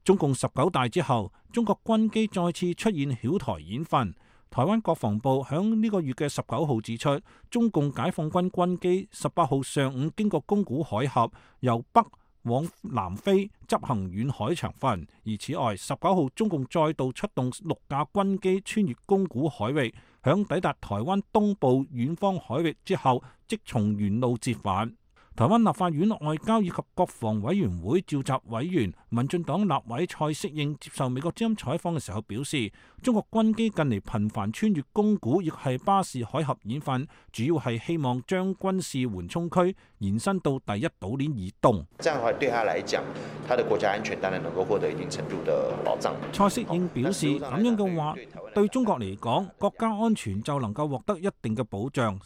中共19大之後，中國軍機再次出現曉台演訓。台灣國防部響呢個月嘅19號指出，中共解放軍軍機18號上午經過宮古海峽，由北往南飛執行遠海長訓。而此外，19號中共再度出動6架軍機穿越宮古海域，響抵達台灣東部遠方海域之後，即從原路折返。台灣立法院外交以及國防委員會召集委員、民進黨立委蔡適應接受美國之音採訪嘅時候表示，中國軍機近嚟頻繁穿越宮古亦係巴士海峽演訓，主要係希望將軍事緩衝區延伸到第一島鏈以東。這樣的話對他來講，他的國家安全當然能夠獲得一定程度的保障。蔡適應表示，咁樣嘅話，對中國嚟講，國家安全就能夠獲得一定嘅保障。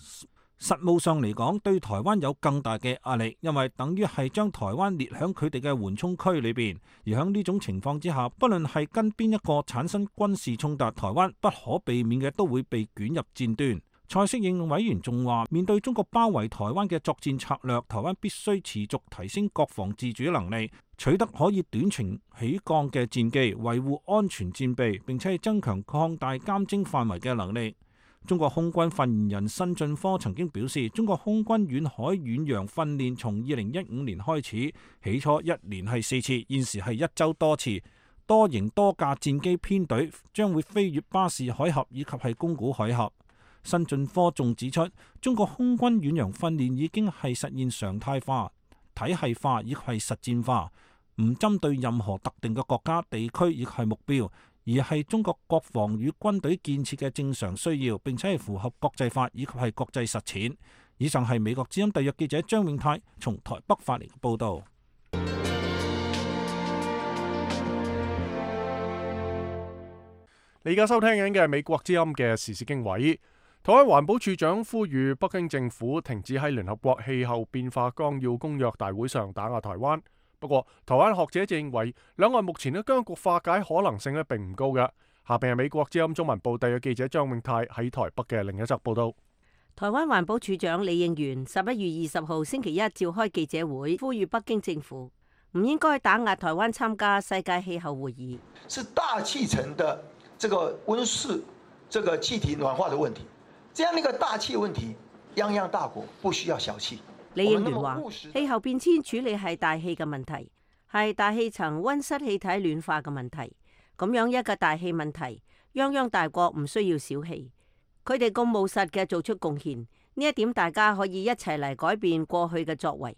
實務上嚟講，對台灣有更大嘅壓力，因為等於係將台灣列響佢哋嘅緩衝區裏邊。而喺呢種情況之下，不論係跟邊一個產生軍事衝突，台灣不可避免嘅都會被捲入戰端。蔡適應委員仲話，面對中國包圍台灣嘅作戰策略，台灣必須持續提升國防自主能力，取得可以短程起降嘅戰機，維護安全戰備，並且係增強擴大監偵範圍嘅能力。中國空軍發言人辛進科曾經表示，中國空軍遠海遠洋訓練從2015年開始，起初1年係4次，現時係1週多次。多型多架戰機編隊將會飛越巴士海峽以及係宮古海峽。辛進科仲指出，中國空軍遠洋訓練已經係實現常態化、體系化以及係實戰化，唔針對任何特定嘅國家、地區亦係目標，而係中國國防與軍隊建設嘅正常需要，並且係符合國際法以及係國際實踐。以上係美國之音特約記者張永泰從台北發嚟嘅報導。你而家收聽緊嘅係美國之音嘅時事經緯。台灣環保署長呼籲北京政府停止喺聯合國氣候變化綱要公約大會上打壓台灣。不過，台灣學者就認為兩岸目前嘅僵局化解可能性並唔高嘅。下邊係美國之音中文部特約記者張永泰喺台北嘅另一則報道。台灣環保署長李應元11月20號星期一召開記者會，呼籲北京政府唔應該打壓台灣參加世界氣候會議。是大氣層的這個溫室、這個氣體暖化的問題，這樣一個大氣問題，泱泱大國不需要小氣。李應元話：氣候變遷處理係大氣嘅問題，係大氣層溫室氣體暖化嘅問題。咁樣一個大氣問題，泱泱大國唔需要小氣，佢哋咁務實嘅做出貢獻，呢一點大家可以一齊嚟改變過去嘅作為。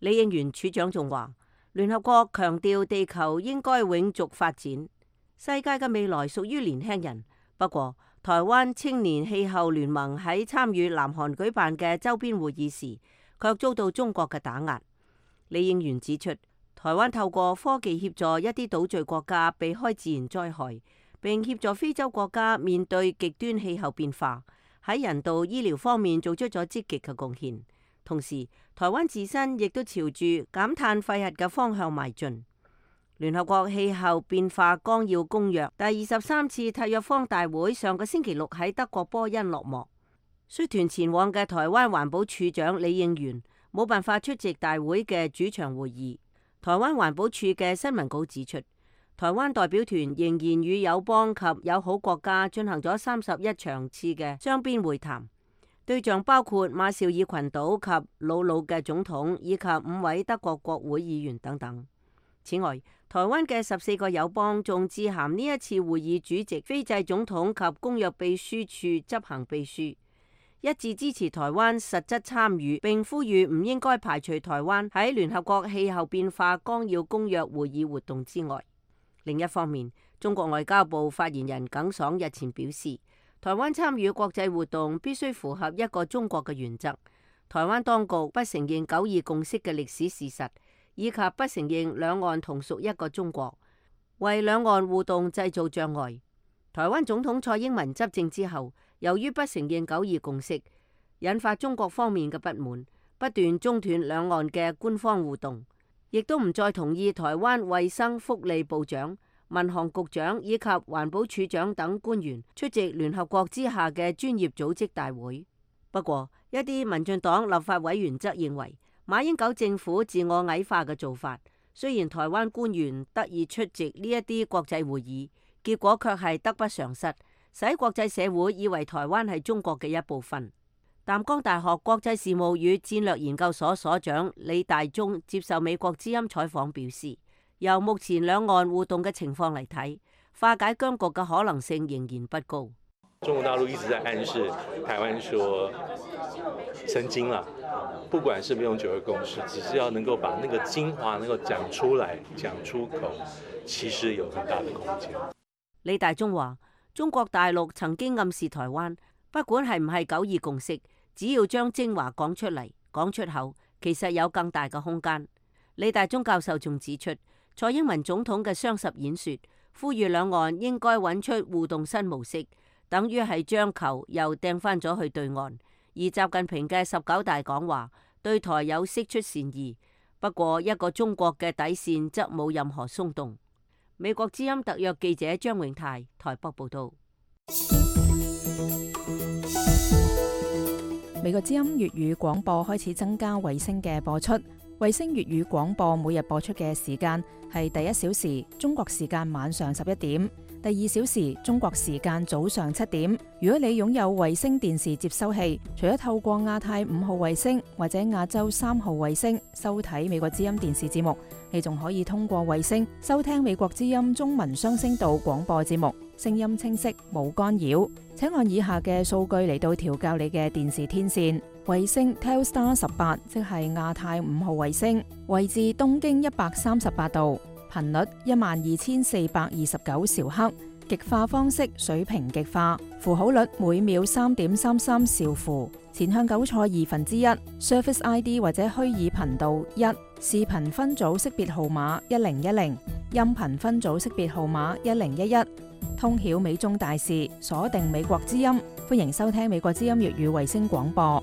李應元署長仲話：聯合國強調地球應該永續發展，世界嘅未來屬於年輕人。不過，台灣青年氣候聯盟喺參與南韓舉辦嘅周邊會議時，卻遭到中國嘅打壓。李應元指出，台灣透過科技協助一啲島嶼國家避開自然災害，並協助非洲國家面對極端氣候變化，喺人道醫療方面做出咗積極嘅貢獻。同時，台灣自身亦都朝住減碳廢核嘅方向邁進。聯合國氣候變化綱要公約第23次締約方大會上個星期六喺德國波恩落幕。率團前往嘅台灣環保署長李應元冇辦法出席大會嘅主場會議。台灣環保署嘅新聞稿指出，台灣代表團仍然與友邦及友好國家進行咗31場次嘅雙邊會談，對象包括馬紹爾群島及瑙魯嘅總統以及5位德國國會議員等等。此外，台灣嘅14個友邦仲致函呢一次會議主席斐濟總統及公約秘書處執行秘書，一致支持台灣實質參與，並呼籲唔應該排除台灣喺聯合國氣候變化綱要公約會議活動之外。另一方面，中國外交部發言人耿爽日前表示，台灣參與國際活動必須符合一個中國嘅原則。台灣當局不承認9·2共識嘅歷史事實，以及不承認兩岸同屬一個中國，為兩岸互動製造障礙。台灣總統蔡英文執政之後，由於不承認9·2共識，引發中國方面嘅不滿，不斷中斷兩岸嘅官方互動，亦都唔再同意台灣衛生福利部長、民航局長以及環保署長等官員出席聯合國之下嘅專業組織大會。不過，一啲民進黨立法委員則認為，馬英九政府自我矮化嘅做法，雖然台灣官員得以出席呢一啲國際會議，結果卻係得不償失，使國際社會以為台灣係中國嘅一部分。淡江大學國際事務與戰略研究所所長李大中接受美國之音採訪表示，由目前兩岸互動嘅情況嚟睇，化解僵局嘅可能性仍然不高。中國大陸一直在暗示台灣說神經了，不管是不是用9·2共識，只是要能夠把那個精華能夠講出來、講出口，其實有很大的空間。李大中話，中國大陸曾經暗示台灣，不管係唔係9·2共識，只要將精華講出嚟、講出口，其實有更大嘅空間。李大中教授仲指出，蔡英文總統嘅雙十演說，呼籲兩岸應該揾出互動新模式，等於係將球又掟翻咗去對岸。而習近平嘅19大講話對台有釋出善意，不過一個中國嘅底線則冇任何鬆動。美國之音特約記者張永泰台北報道。美國之音粵語廣播開始增加衛星嘅播出。衛星粵語廣播每日播出嘅時間係第1小時中國時間晚上11點，第2小時中國時間早上7點。如果你擁有衛星電視接收器，除咗透過亞太5號衛星或者亞洲3號衛星收睇美國之音電視節目，你仲可以通過衛星收聽美國之音中文雙聲道廣播節目，聲音清晰冇干擾。請按以下嘅數據嚟到調校你嘅電視天線。衛星 Telstar 18，即係亞太5號衛星，位置東經138度，頻率12429兆赫，極化方式水平極化，符號率每秒3.33兆符，前向9錯1/2 ，Surface ID 或者虛擬頻道1，視頻分組識別號碼1010，音頻分組識別號碼1011。通曉美中大事，鎖定美國之音。歡迎收聽美國之音粵語衛星廣播。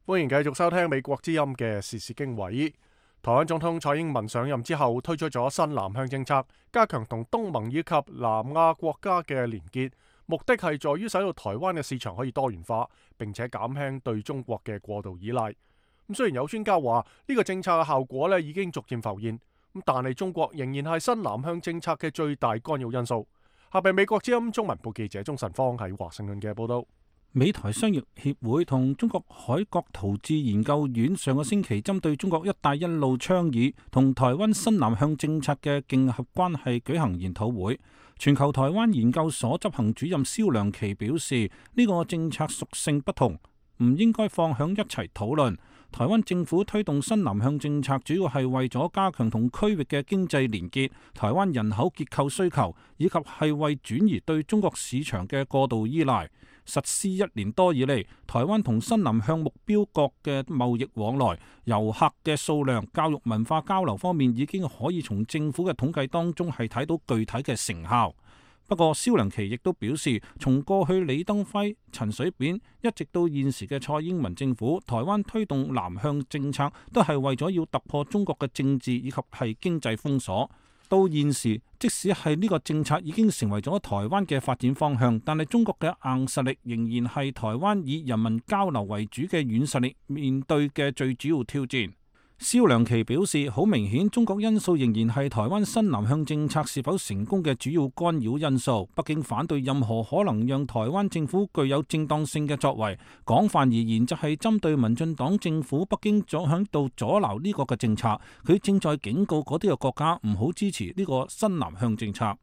歡迎繼續收聽美國之音嘅時事經緯。台灣總統蔡英文上任之後，推出咗新南向政策，加強同東盟以及南亞國家嘅連結，目的係在於使到台灣嘅市場可以多元化，並且減輕對中國嘅過度依賴。咁雖然有專家話呢個政策嘅效果咧已經逐漸浮現，但係中國仍然係新南向政策嘅最大干擾因素。下邊美國之音中文部記者鍾晨芳喺華盛頓嘅報道。美台商業協會同中國海國陶智研究院上個星期針對中國一帶一路倡議同台灣新南向政策嘅競合關係舉行研討會。全球台灣研究所執行主任蕭良奇表示，呢個政策屬性不同，唔應該放響一齊討論。台灣政府推動新南向政策，主要係為咗加強同區域嘅經濟連結、台灣人口結構需求，以及係為轉移對中國市場嘅過度依賴。實施1年多以嚟，台灣同新南向目標國嘅貿易往來、遊客嘅數量、教育文化交流方面，已經可以從政府嘅統計當中係睇到具體嘅成效。不過，蕭良奇亦都表示，從過去李登輝、陳水扁一直到現時嘅蔡英文政府，台灣推動南向政策都係為咗要突破中國嘅政治以及係經濟封鎖。到現時，即使係呢個政策已經成為咗台灣嘅發展方向，但係中國嘅硬實力仍然係台灣以人民交流為主嘅軟實力面對嘅最主要挑戰。蕭良奇表示，好明顯中國因素仍然係台灣新南向政策是否成功嘅主要干擾因素。北京反對任何可能讓台灣政府具有正當性嘅作為，廣泛而言就係針對民進黨政府。北京總響度阻撓呢個嘅政策，佢正在警告嗰啲嘅國家唔好支持呢個新南向政策。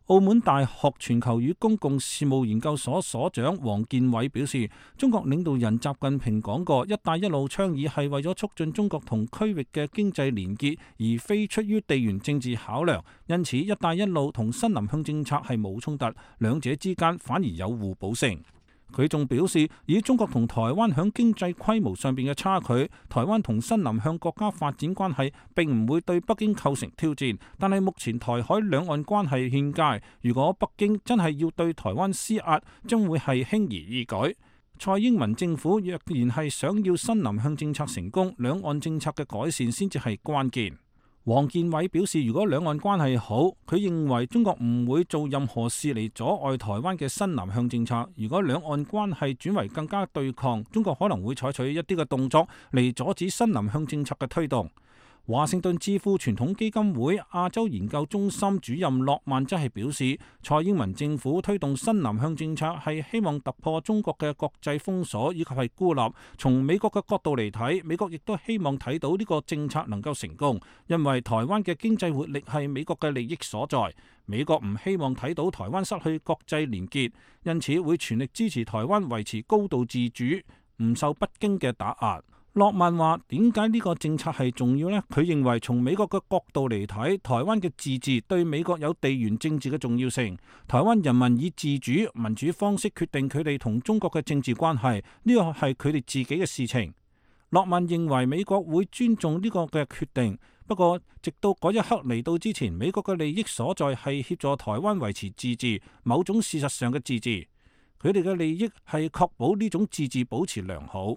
澳門大學全球與公共事務研究所所長王建偉表示，中國領導人習近平講過，一帶一路倡議係為咗促進中國同區域嘅經濟連結，而非出於地緣政治考量。因此，一帶一路同新南向政策係冇衝突，兩者之間反而有互補性。佢仲表示，以中國同台灣響經濟規模上邊嘅差距，台灣同新南向國家發展關係並唔會對北京構成挑戰。但係目前台海兩岸關係欠佳，如果北京真係要對台灣施壓，將會係輕而易舉。蔡英文政府若然係想要新南向政策成功，兩岸政策嘅改善先至係關鍵。王建偉表示，如果兩岸關係好，佢認為中國唔會做任何事嚟阻礙台灣嘅新南向政策。如果兩岸關係轉為更加對抗，中國可能會採取一啲嘅動作嚟阻止新南向政策嘅推動。華盛頓智庫傳統基金會亞洲研究中心主任諾曼則係表示，蔡英文政府推動新南向政策係希望突破中國嘅國際封鎖以及係孤立。從美國嘅角度嚟睇，美國亦都希望睇到呢個政策能夠成功，因為台灣嘅經濟活力係美國嘅利益所在。美國唔希望睇到台灣失去國際連結，因此會全力支持台灣維持高度自主，唔受北京嘅打壓。諾曼話：點解呢個政策係重要呢？佢認為從美國嘅角度嚟睇，台灣嘅自治對美國有地緣政治嘅重要性。台灣人民以自主民主方式決定佢哋同中國嘅政治關係，呢個係佢哋自己嘅事情。諾曼認為美國會尊重呢個嘅決定，不過直到嗰一刻嚟到之前，美國嘅利益所在係協助台灣維持自治，某種事實上嘅自治。佢哋嘅利益係確保呢種自治保持良好。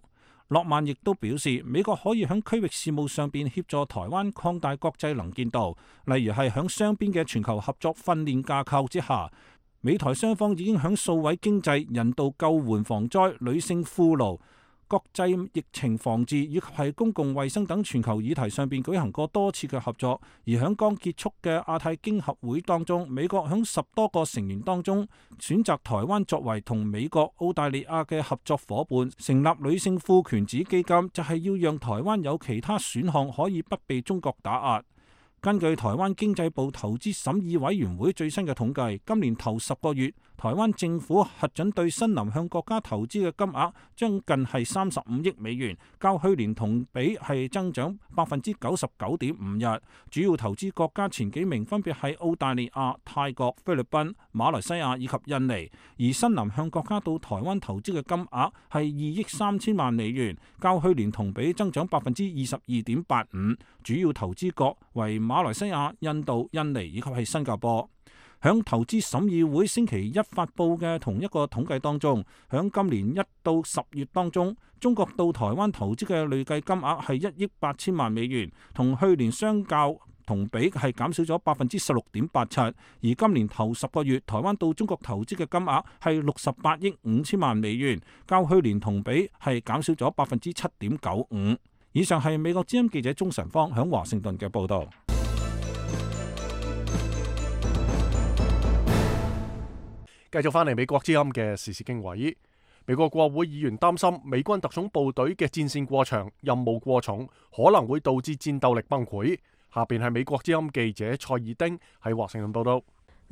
諾曼亦都表示，美國可以喺區域事務上邊協助台灣擴大國際能見度，例如係喺雙邊嘅全球合作訓練架構之下，美台雙方已經喺數位經濟、人道救援防災、女性俘虜、國際疫情防治以及係公共衛生等全球議題上邊舉行過多次嘅合作。而喺剛結束嘅亞太經合會當中，美國喺10多個成員當中選擇台灣作為同美國、澳大利亞嘅合作夥伴，成立女性賦權子基金，就係要讓台灣有其他選項可以不被中國打壓。根據台灣經濟部投資審議委員會最新嘅統計，今年頭10個月，台灣政府核准對新南向國家投資嘅金額將近係35億美元，較去年同比係增長99.51%。主要投資國家前幾名分別係澳大利亞、泰國、菲律賓、馬來西亞以及印尼，而新南向國家到台灣投資嘅金額係2億3千萬美元，較去年同比增長22.85%。主要投資國為馬來西亞、印度、印尼以及係新加坡。響投資審議會星期一發佈嘅同一個統計當中，響今年1到10月當中，中國到台灣投資嘅累計金額係1億8千萬美元，同去年相較同比係減少咗16.87%。而今年頭10個月，台灣到中國投資嘅金額係68億5千萬美元，較去年同比係減少咗7.95%。以上係美國之音記者鍾晨芳響華盛頓嘅報導。繼續翻嚟美國之音嘅時事經緯，美國國會議員擔心美軍特種部隊嘅戰線過長、任務過重，可能會導致戰鬥力崩潰。下邊係美國之音記者蔡爾丁喺華盛頓報道。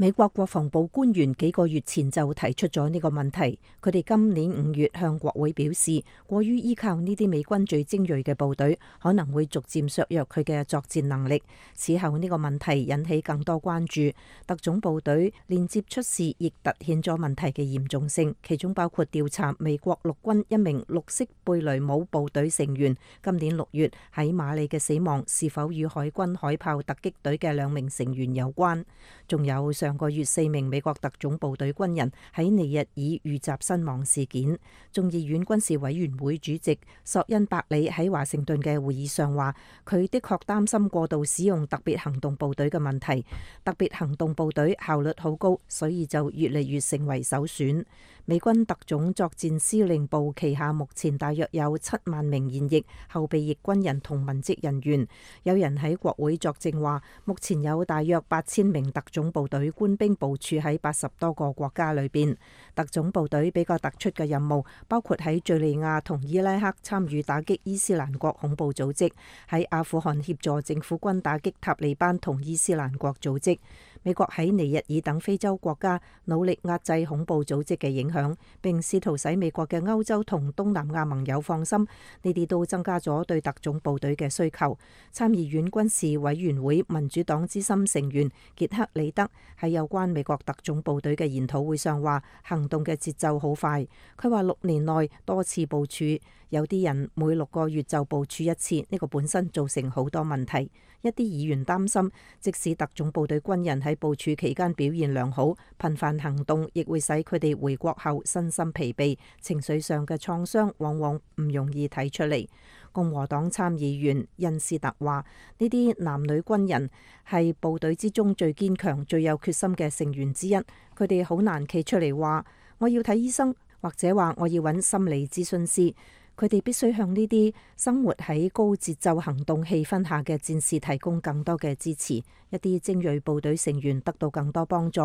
美國國防部官員幾個月前就提出咗呢個問題，佢哋今年5月向國會表示，過於依靠呢啲美軍最精銳嘅部隊，可能會逐漸削弱佢嘅作戰能力。此後呢個問題引起更多關注，特種部隊連接出事，亦突顯咗問題嘅嚴重性，其中包括調查美國陸軍一名綠色貝雷姆部隊成員今年6月喺馬里嘅死亡是否與海軍海豹突擊隊嘅2名成員有關，仲有上個月4名美國特種部隊軍人喺尼日爾遇襲身亡事件。眾議院軍事委員會主席索恩伯里喺華盛頓嘅會議上話，佢的確擔心過度使用特別行動部隊嘅問題。特別行動部隊效率好高，所以就越嚟越成為首選。美軍特種作戰司令部旗下目前大約有7萬名現役、後備役軍人同文職人員。有人喺國會作證話，目前有大約8000名特種部隊官兵部署喺80多個國家裏邊。特種部隊比較突出嘅任務包括喺敘利亞同伊拉克參與打擊伊斯蘭國恐怖組織，喺阿富汗協助政府軍打擊塔利班同伊斯蘭國組織。美國喺尼日爾等非洲國家努力壓制恐怖組織嘅影響，並試圖使美國嘅歐洲同東南亞盟友放心，呢啲都增加咗對特種部隊嘅需求。參議院軍事委員會民主黨資深成員傑克里德喺有關美國特種部隊嘅研討會上話，行動嘅節奏好快。佢話6年內多次部署，有啲人每6個月就部署一次，呢個本身造成好多問題。一啲議員擔心，即使特種部隊軍人喺部署期間表現良好，頻繁行動亦會使佢哋回國後身心疲憊，情緒上嘅創傷往往唔容易睇出嚟。共和黨參議員恩斯特話，呢啲男女軍人係部隊之中最堅強、最有決心嘅成員之一，佢哋好難企出嚟話我要睇醫生，或者話我要揾心理諮詢師。佢哋必須向呢啲生活喺高節奏行動氣氛下嘅戰士提供更多嘅支持，一啲精銳部隊成員得到更多幫助。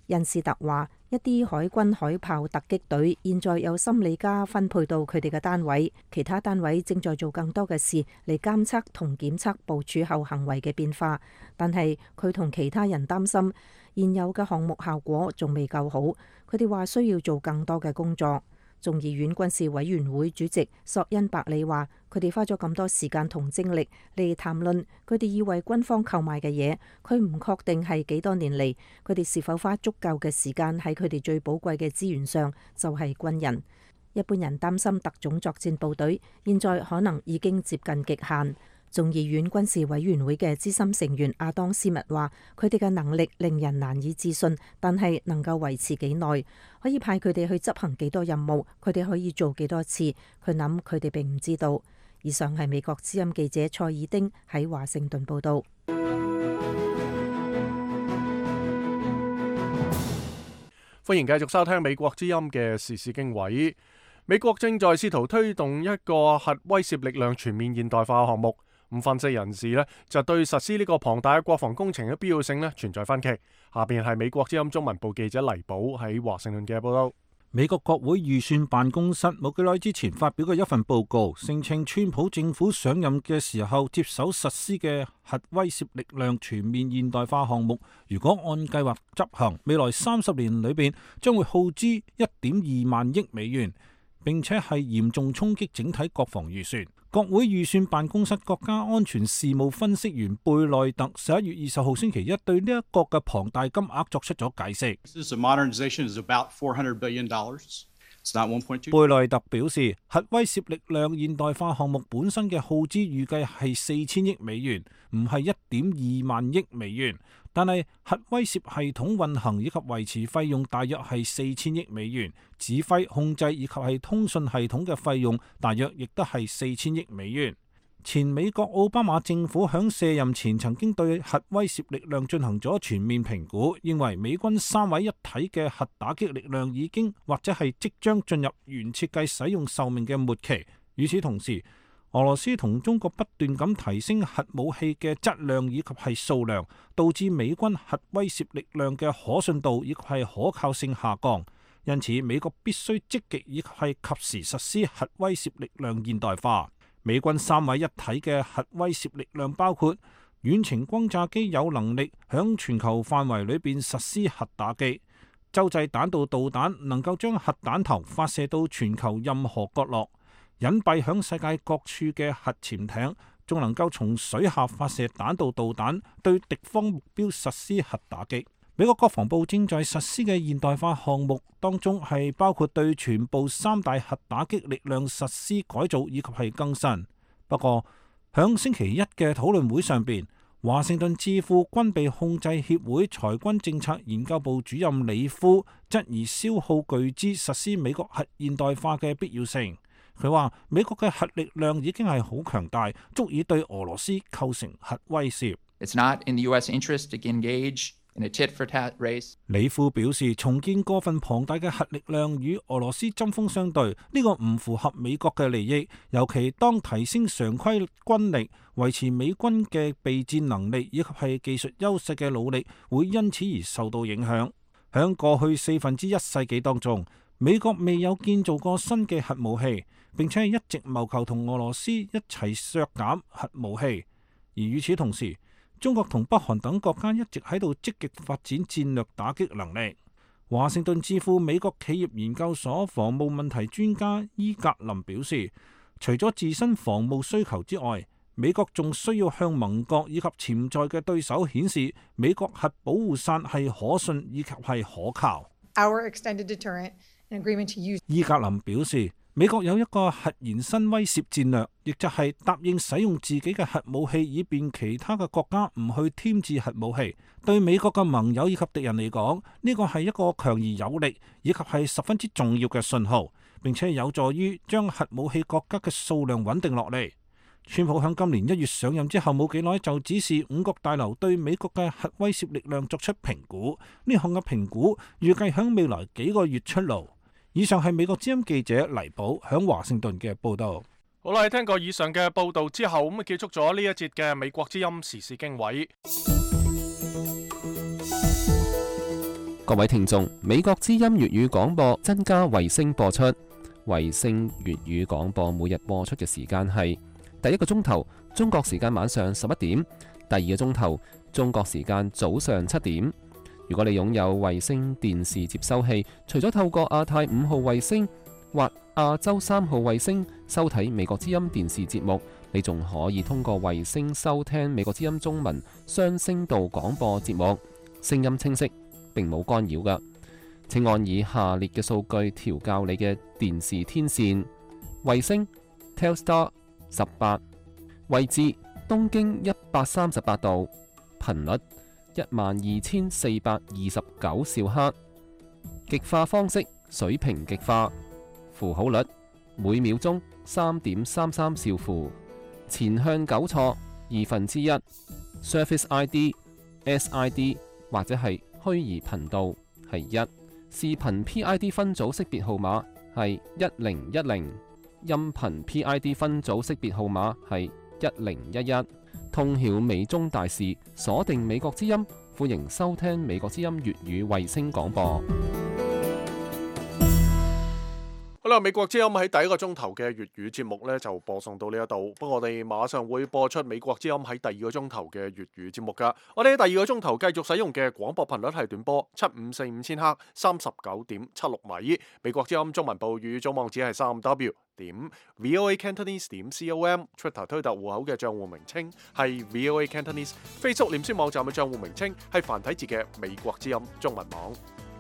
恩斯特話，一啲海軍海豹突擊隊現在有心理家分配到佢哋嘅單位，其他單位正在做更多嘅事嚟監測同檢測部署後行為嘅變化。但係佢同其他人擔心，現有嘅項目效果仲未夠好，佢哋話需要做更多嘅工作。眾議院軍事委員會主席索恩伯里話，佢哋花咗咁多時間同精力嚟談論佢哋要為軍方購買嘅嘢，佢唔確定係幾多年嚟佢哋是否花足夠嘅時間喺佢哋最寶貴嘅資源上，就係軍人。一般人擔心特種作戰部隊現在可能已經接近極限。眾議院軍事委員會嘅資深成員亞當斯密話，佢哋嘅能力令人難以置信，但係能夠維持幾耐，可以派佢哋去執行幾多任務，佢哋可以做幾多次，佢諗佢哋並唔知道。以上係美國之音記者蔡爾丁喺華盛頓報道。歡迎繼續收聽美國之音嘅時事經緯。美國正在試圖推動一個核威懾力量全面現代化嘅項目。咁分析人士呢，就對實施呢個龐大嘅國防工程嘅必要性呢存在分歧。下邊係美國之音中文部記者黎寶喺華盛頓嘅報道。美國國會預算辦公室冇幾耐之前發表嘅一份報告，聲稱川普政府上任嘅時候接手實施嘅核威懾力量全面現代化項目，如果按計劃執行，未來30年裏邊將會耗資1.2萬億美元，並且係嚴重衝擊整體國防預算。國會預算辦公室國家安全事務分析員貝內特11月20號星期一對呢一個嘅龐大金額作出咗解釋。貝內特表示，核威懾力量現代化項目本身嘅耗資預計係4000億美元，唔係1.2萬億美元。但係核威懾系統運行以及維持費用大約係4000億美元，指揮控制以及係通訊系統嘅費用大約亦都係4000億美元。前美國奧巴馬政府響卸任前曾經對核威懾力量進行咗全面評估，認為美軍3位一體嘅核打擊力量已經或者係即將進入原設計使用壽命嘅末期。與此同時，俄羅斯同中國不斷咁提升核武器嘅質量以及係數量，導致美軍核威懾力量嘅可信度以及係可靠性下降。因此，美國必須積極以及係及時實施核威懾力量現代化。美軍3位一體嘅核威懾力量包括遠程轟炸機有能力響全球範圍裏邊實施核打擊，洲際彈道導彈能夠將核彈頭發射到全球任何角落，隱蔽響世界各處嘅核潛艇仲能夠從水下發射彈道導彈對敵方目標實施核打擊。美國國防部正在實施嘅現代化項目當中係包括對全部3大核打擊力量實施改造以及係更新。不過響星期一嘅討論會上邊，華盛頓智庫軍備控制協會裁軍政策研究部主任李夫質疑消耗巨資實施美國核現代化嘅必要性。佢話美國嘅核力量已經係好強大，足以對俄羅斯構成核威懾。It's not in the US interest to engage in a tit-for-tat race. 李夫表示，重建過分龐大嘅核力量與俄羅斯針鋒相對，呢個唔符合美國嘅利益。尤其當提升常規軍力、維持美軍嘅備戰能力以及係技術優勢嘅努力，會因此而受到影響。響過去1/4世紀當中，美國未有建造過新嘅核武器，並且係一直謀求同俄羅斯一齊削減核武器。而與此同時，中國同北韓等國家一直喺度積極發展戰略打擊能力。華盛頓智庫美國企業研究所防務問題專家伊格林表示，除咗自身防務需求之外，美國仲需要向盟國以及潛在嘅對手顯示美國核保護傘係可信以及係可靠。伊格林表示，美國有一個核延伸威懾戰略，亦就係答應使用自己嘅核武器，以便其他嘅國家唔去添置核武器。對美國嘅盟友以及敵人嚟講，呢個係一個強而有力以及係十分之重要嘅信號，並且有助於將核武器國家嘅數量穩定落嚟。川普響今年1月上任之後冇幾耐，就指示五角大樓對美國嘅核威懾力量作出評估。呢項嘅評估預計響未來幾個月出爐。以上係美國之音記者黎寶響華盛頓嘅報道。好啦，聽過以上嘅報道之後，咁結束咗呢一節嘅美國之音時事經緯。各位聽眾，美國之音粵語廣播增加衛星播出。衛星粵語廣播每日播出嘅時間係第一個鐘頭中國時間晚上11點，第二個鐘頭中國時間早上7點。如果你擁有衛星電視接收器，除咗透過亞太5號衛星或亞洲3號衛星收睇美國之音電視節目，你仲可以通過衛星收聽美國之音中文雙聲道廣播節目，聲音清晰，並冇干擾㗎。請按以下列嘅數據調校你嘅電視天線：衛星 Telstar 18，位置東經138度，頻率12429兆赫，極化方式水平極化，符號率每秒鐘3.33兆符，前向糾錯1/2， Service ID、SID 或者係虛擬頻道係1，視頻 PID 分組識別號碼係1010，音頻 PID 分組識別號碼係1011。通曉美中大事，鎖定美國之音，歡迎收聽美國之音粵語衛星廣播。好啦，美國之音喺第一個鐘頭嘅粵語節目呢就播送到呢一度，不過我哋馬上會播出美國之音喺第二個鐘頭嘅粵語節目噶。我哋喺第二個鐘頭繼續使用嘅廣播頻率係短波7545千赫39.76米。美國之音中文部粵語組網址係3w.voacantonese.com，Twitter 推特戶口嘅賬戶名稱係 VOA Cantonese，Facebook 臉書網站嘅賬戶名稱係繁體字嘅美國之音中文網。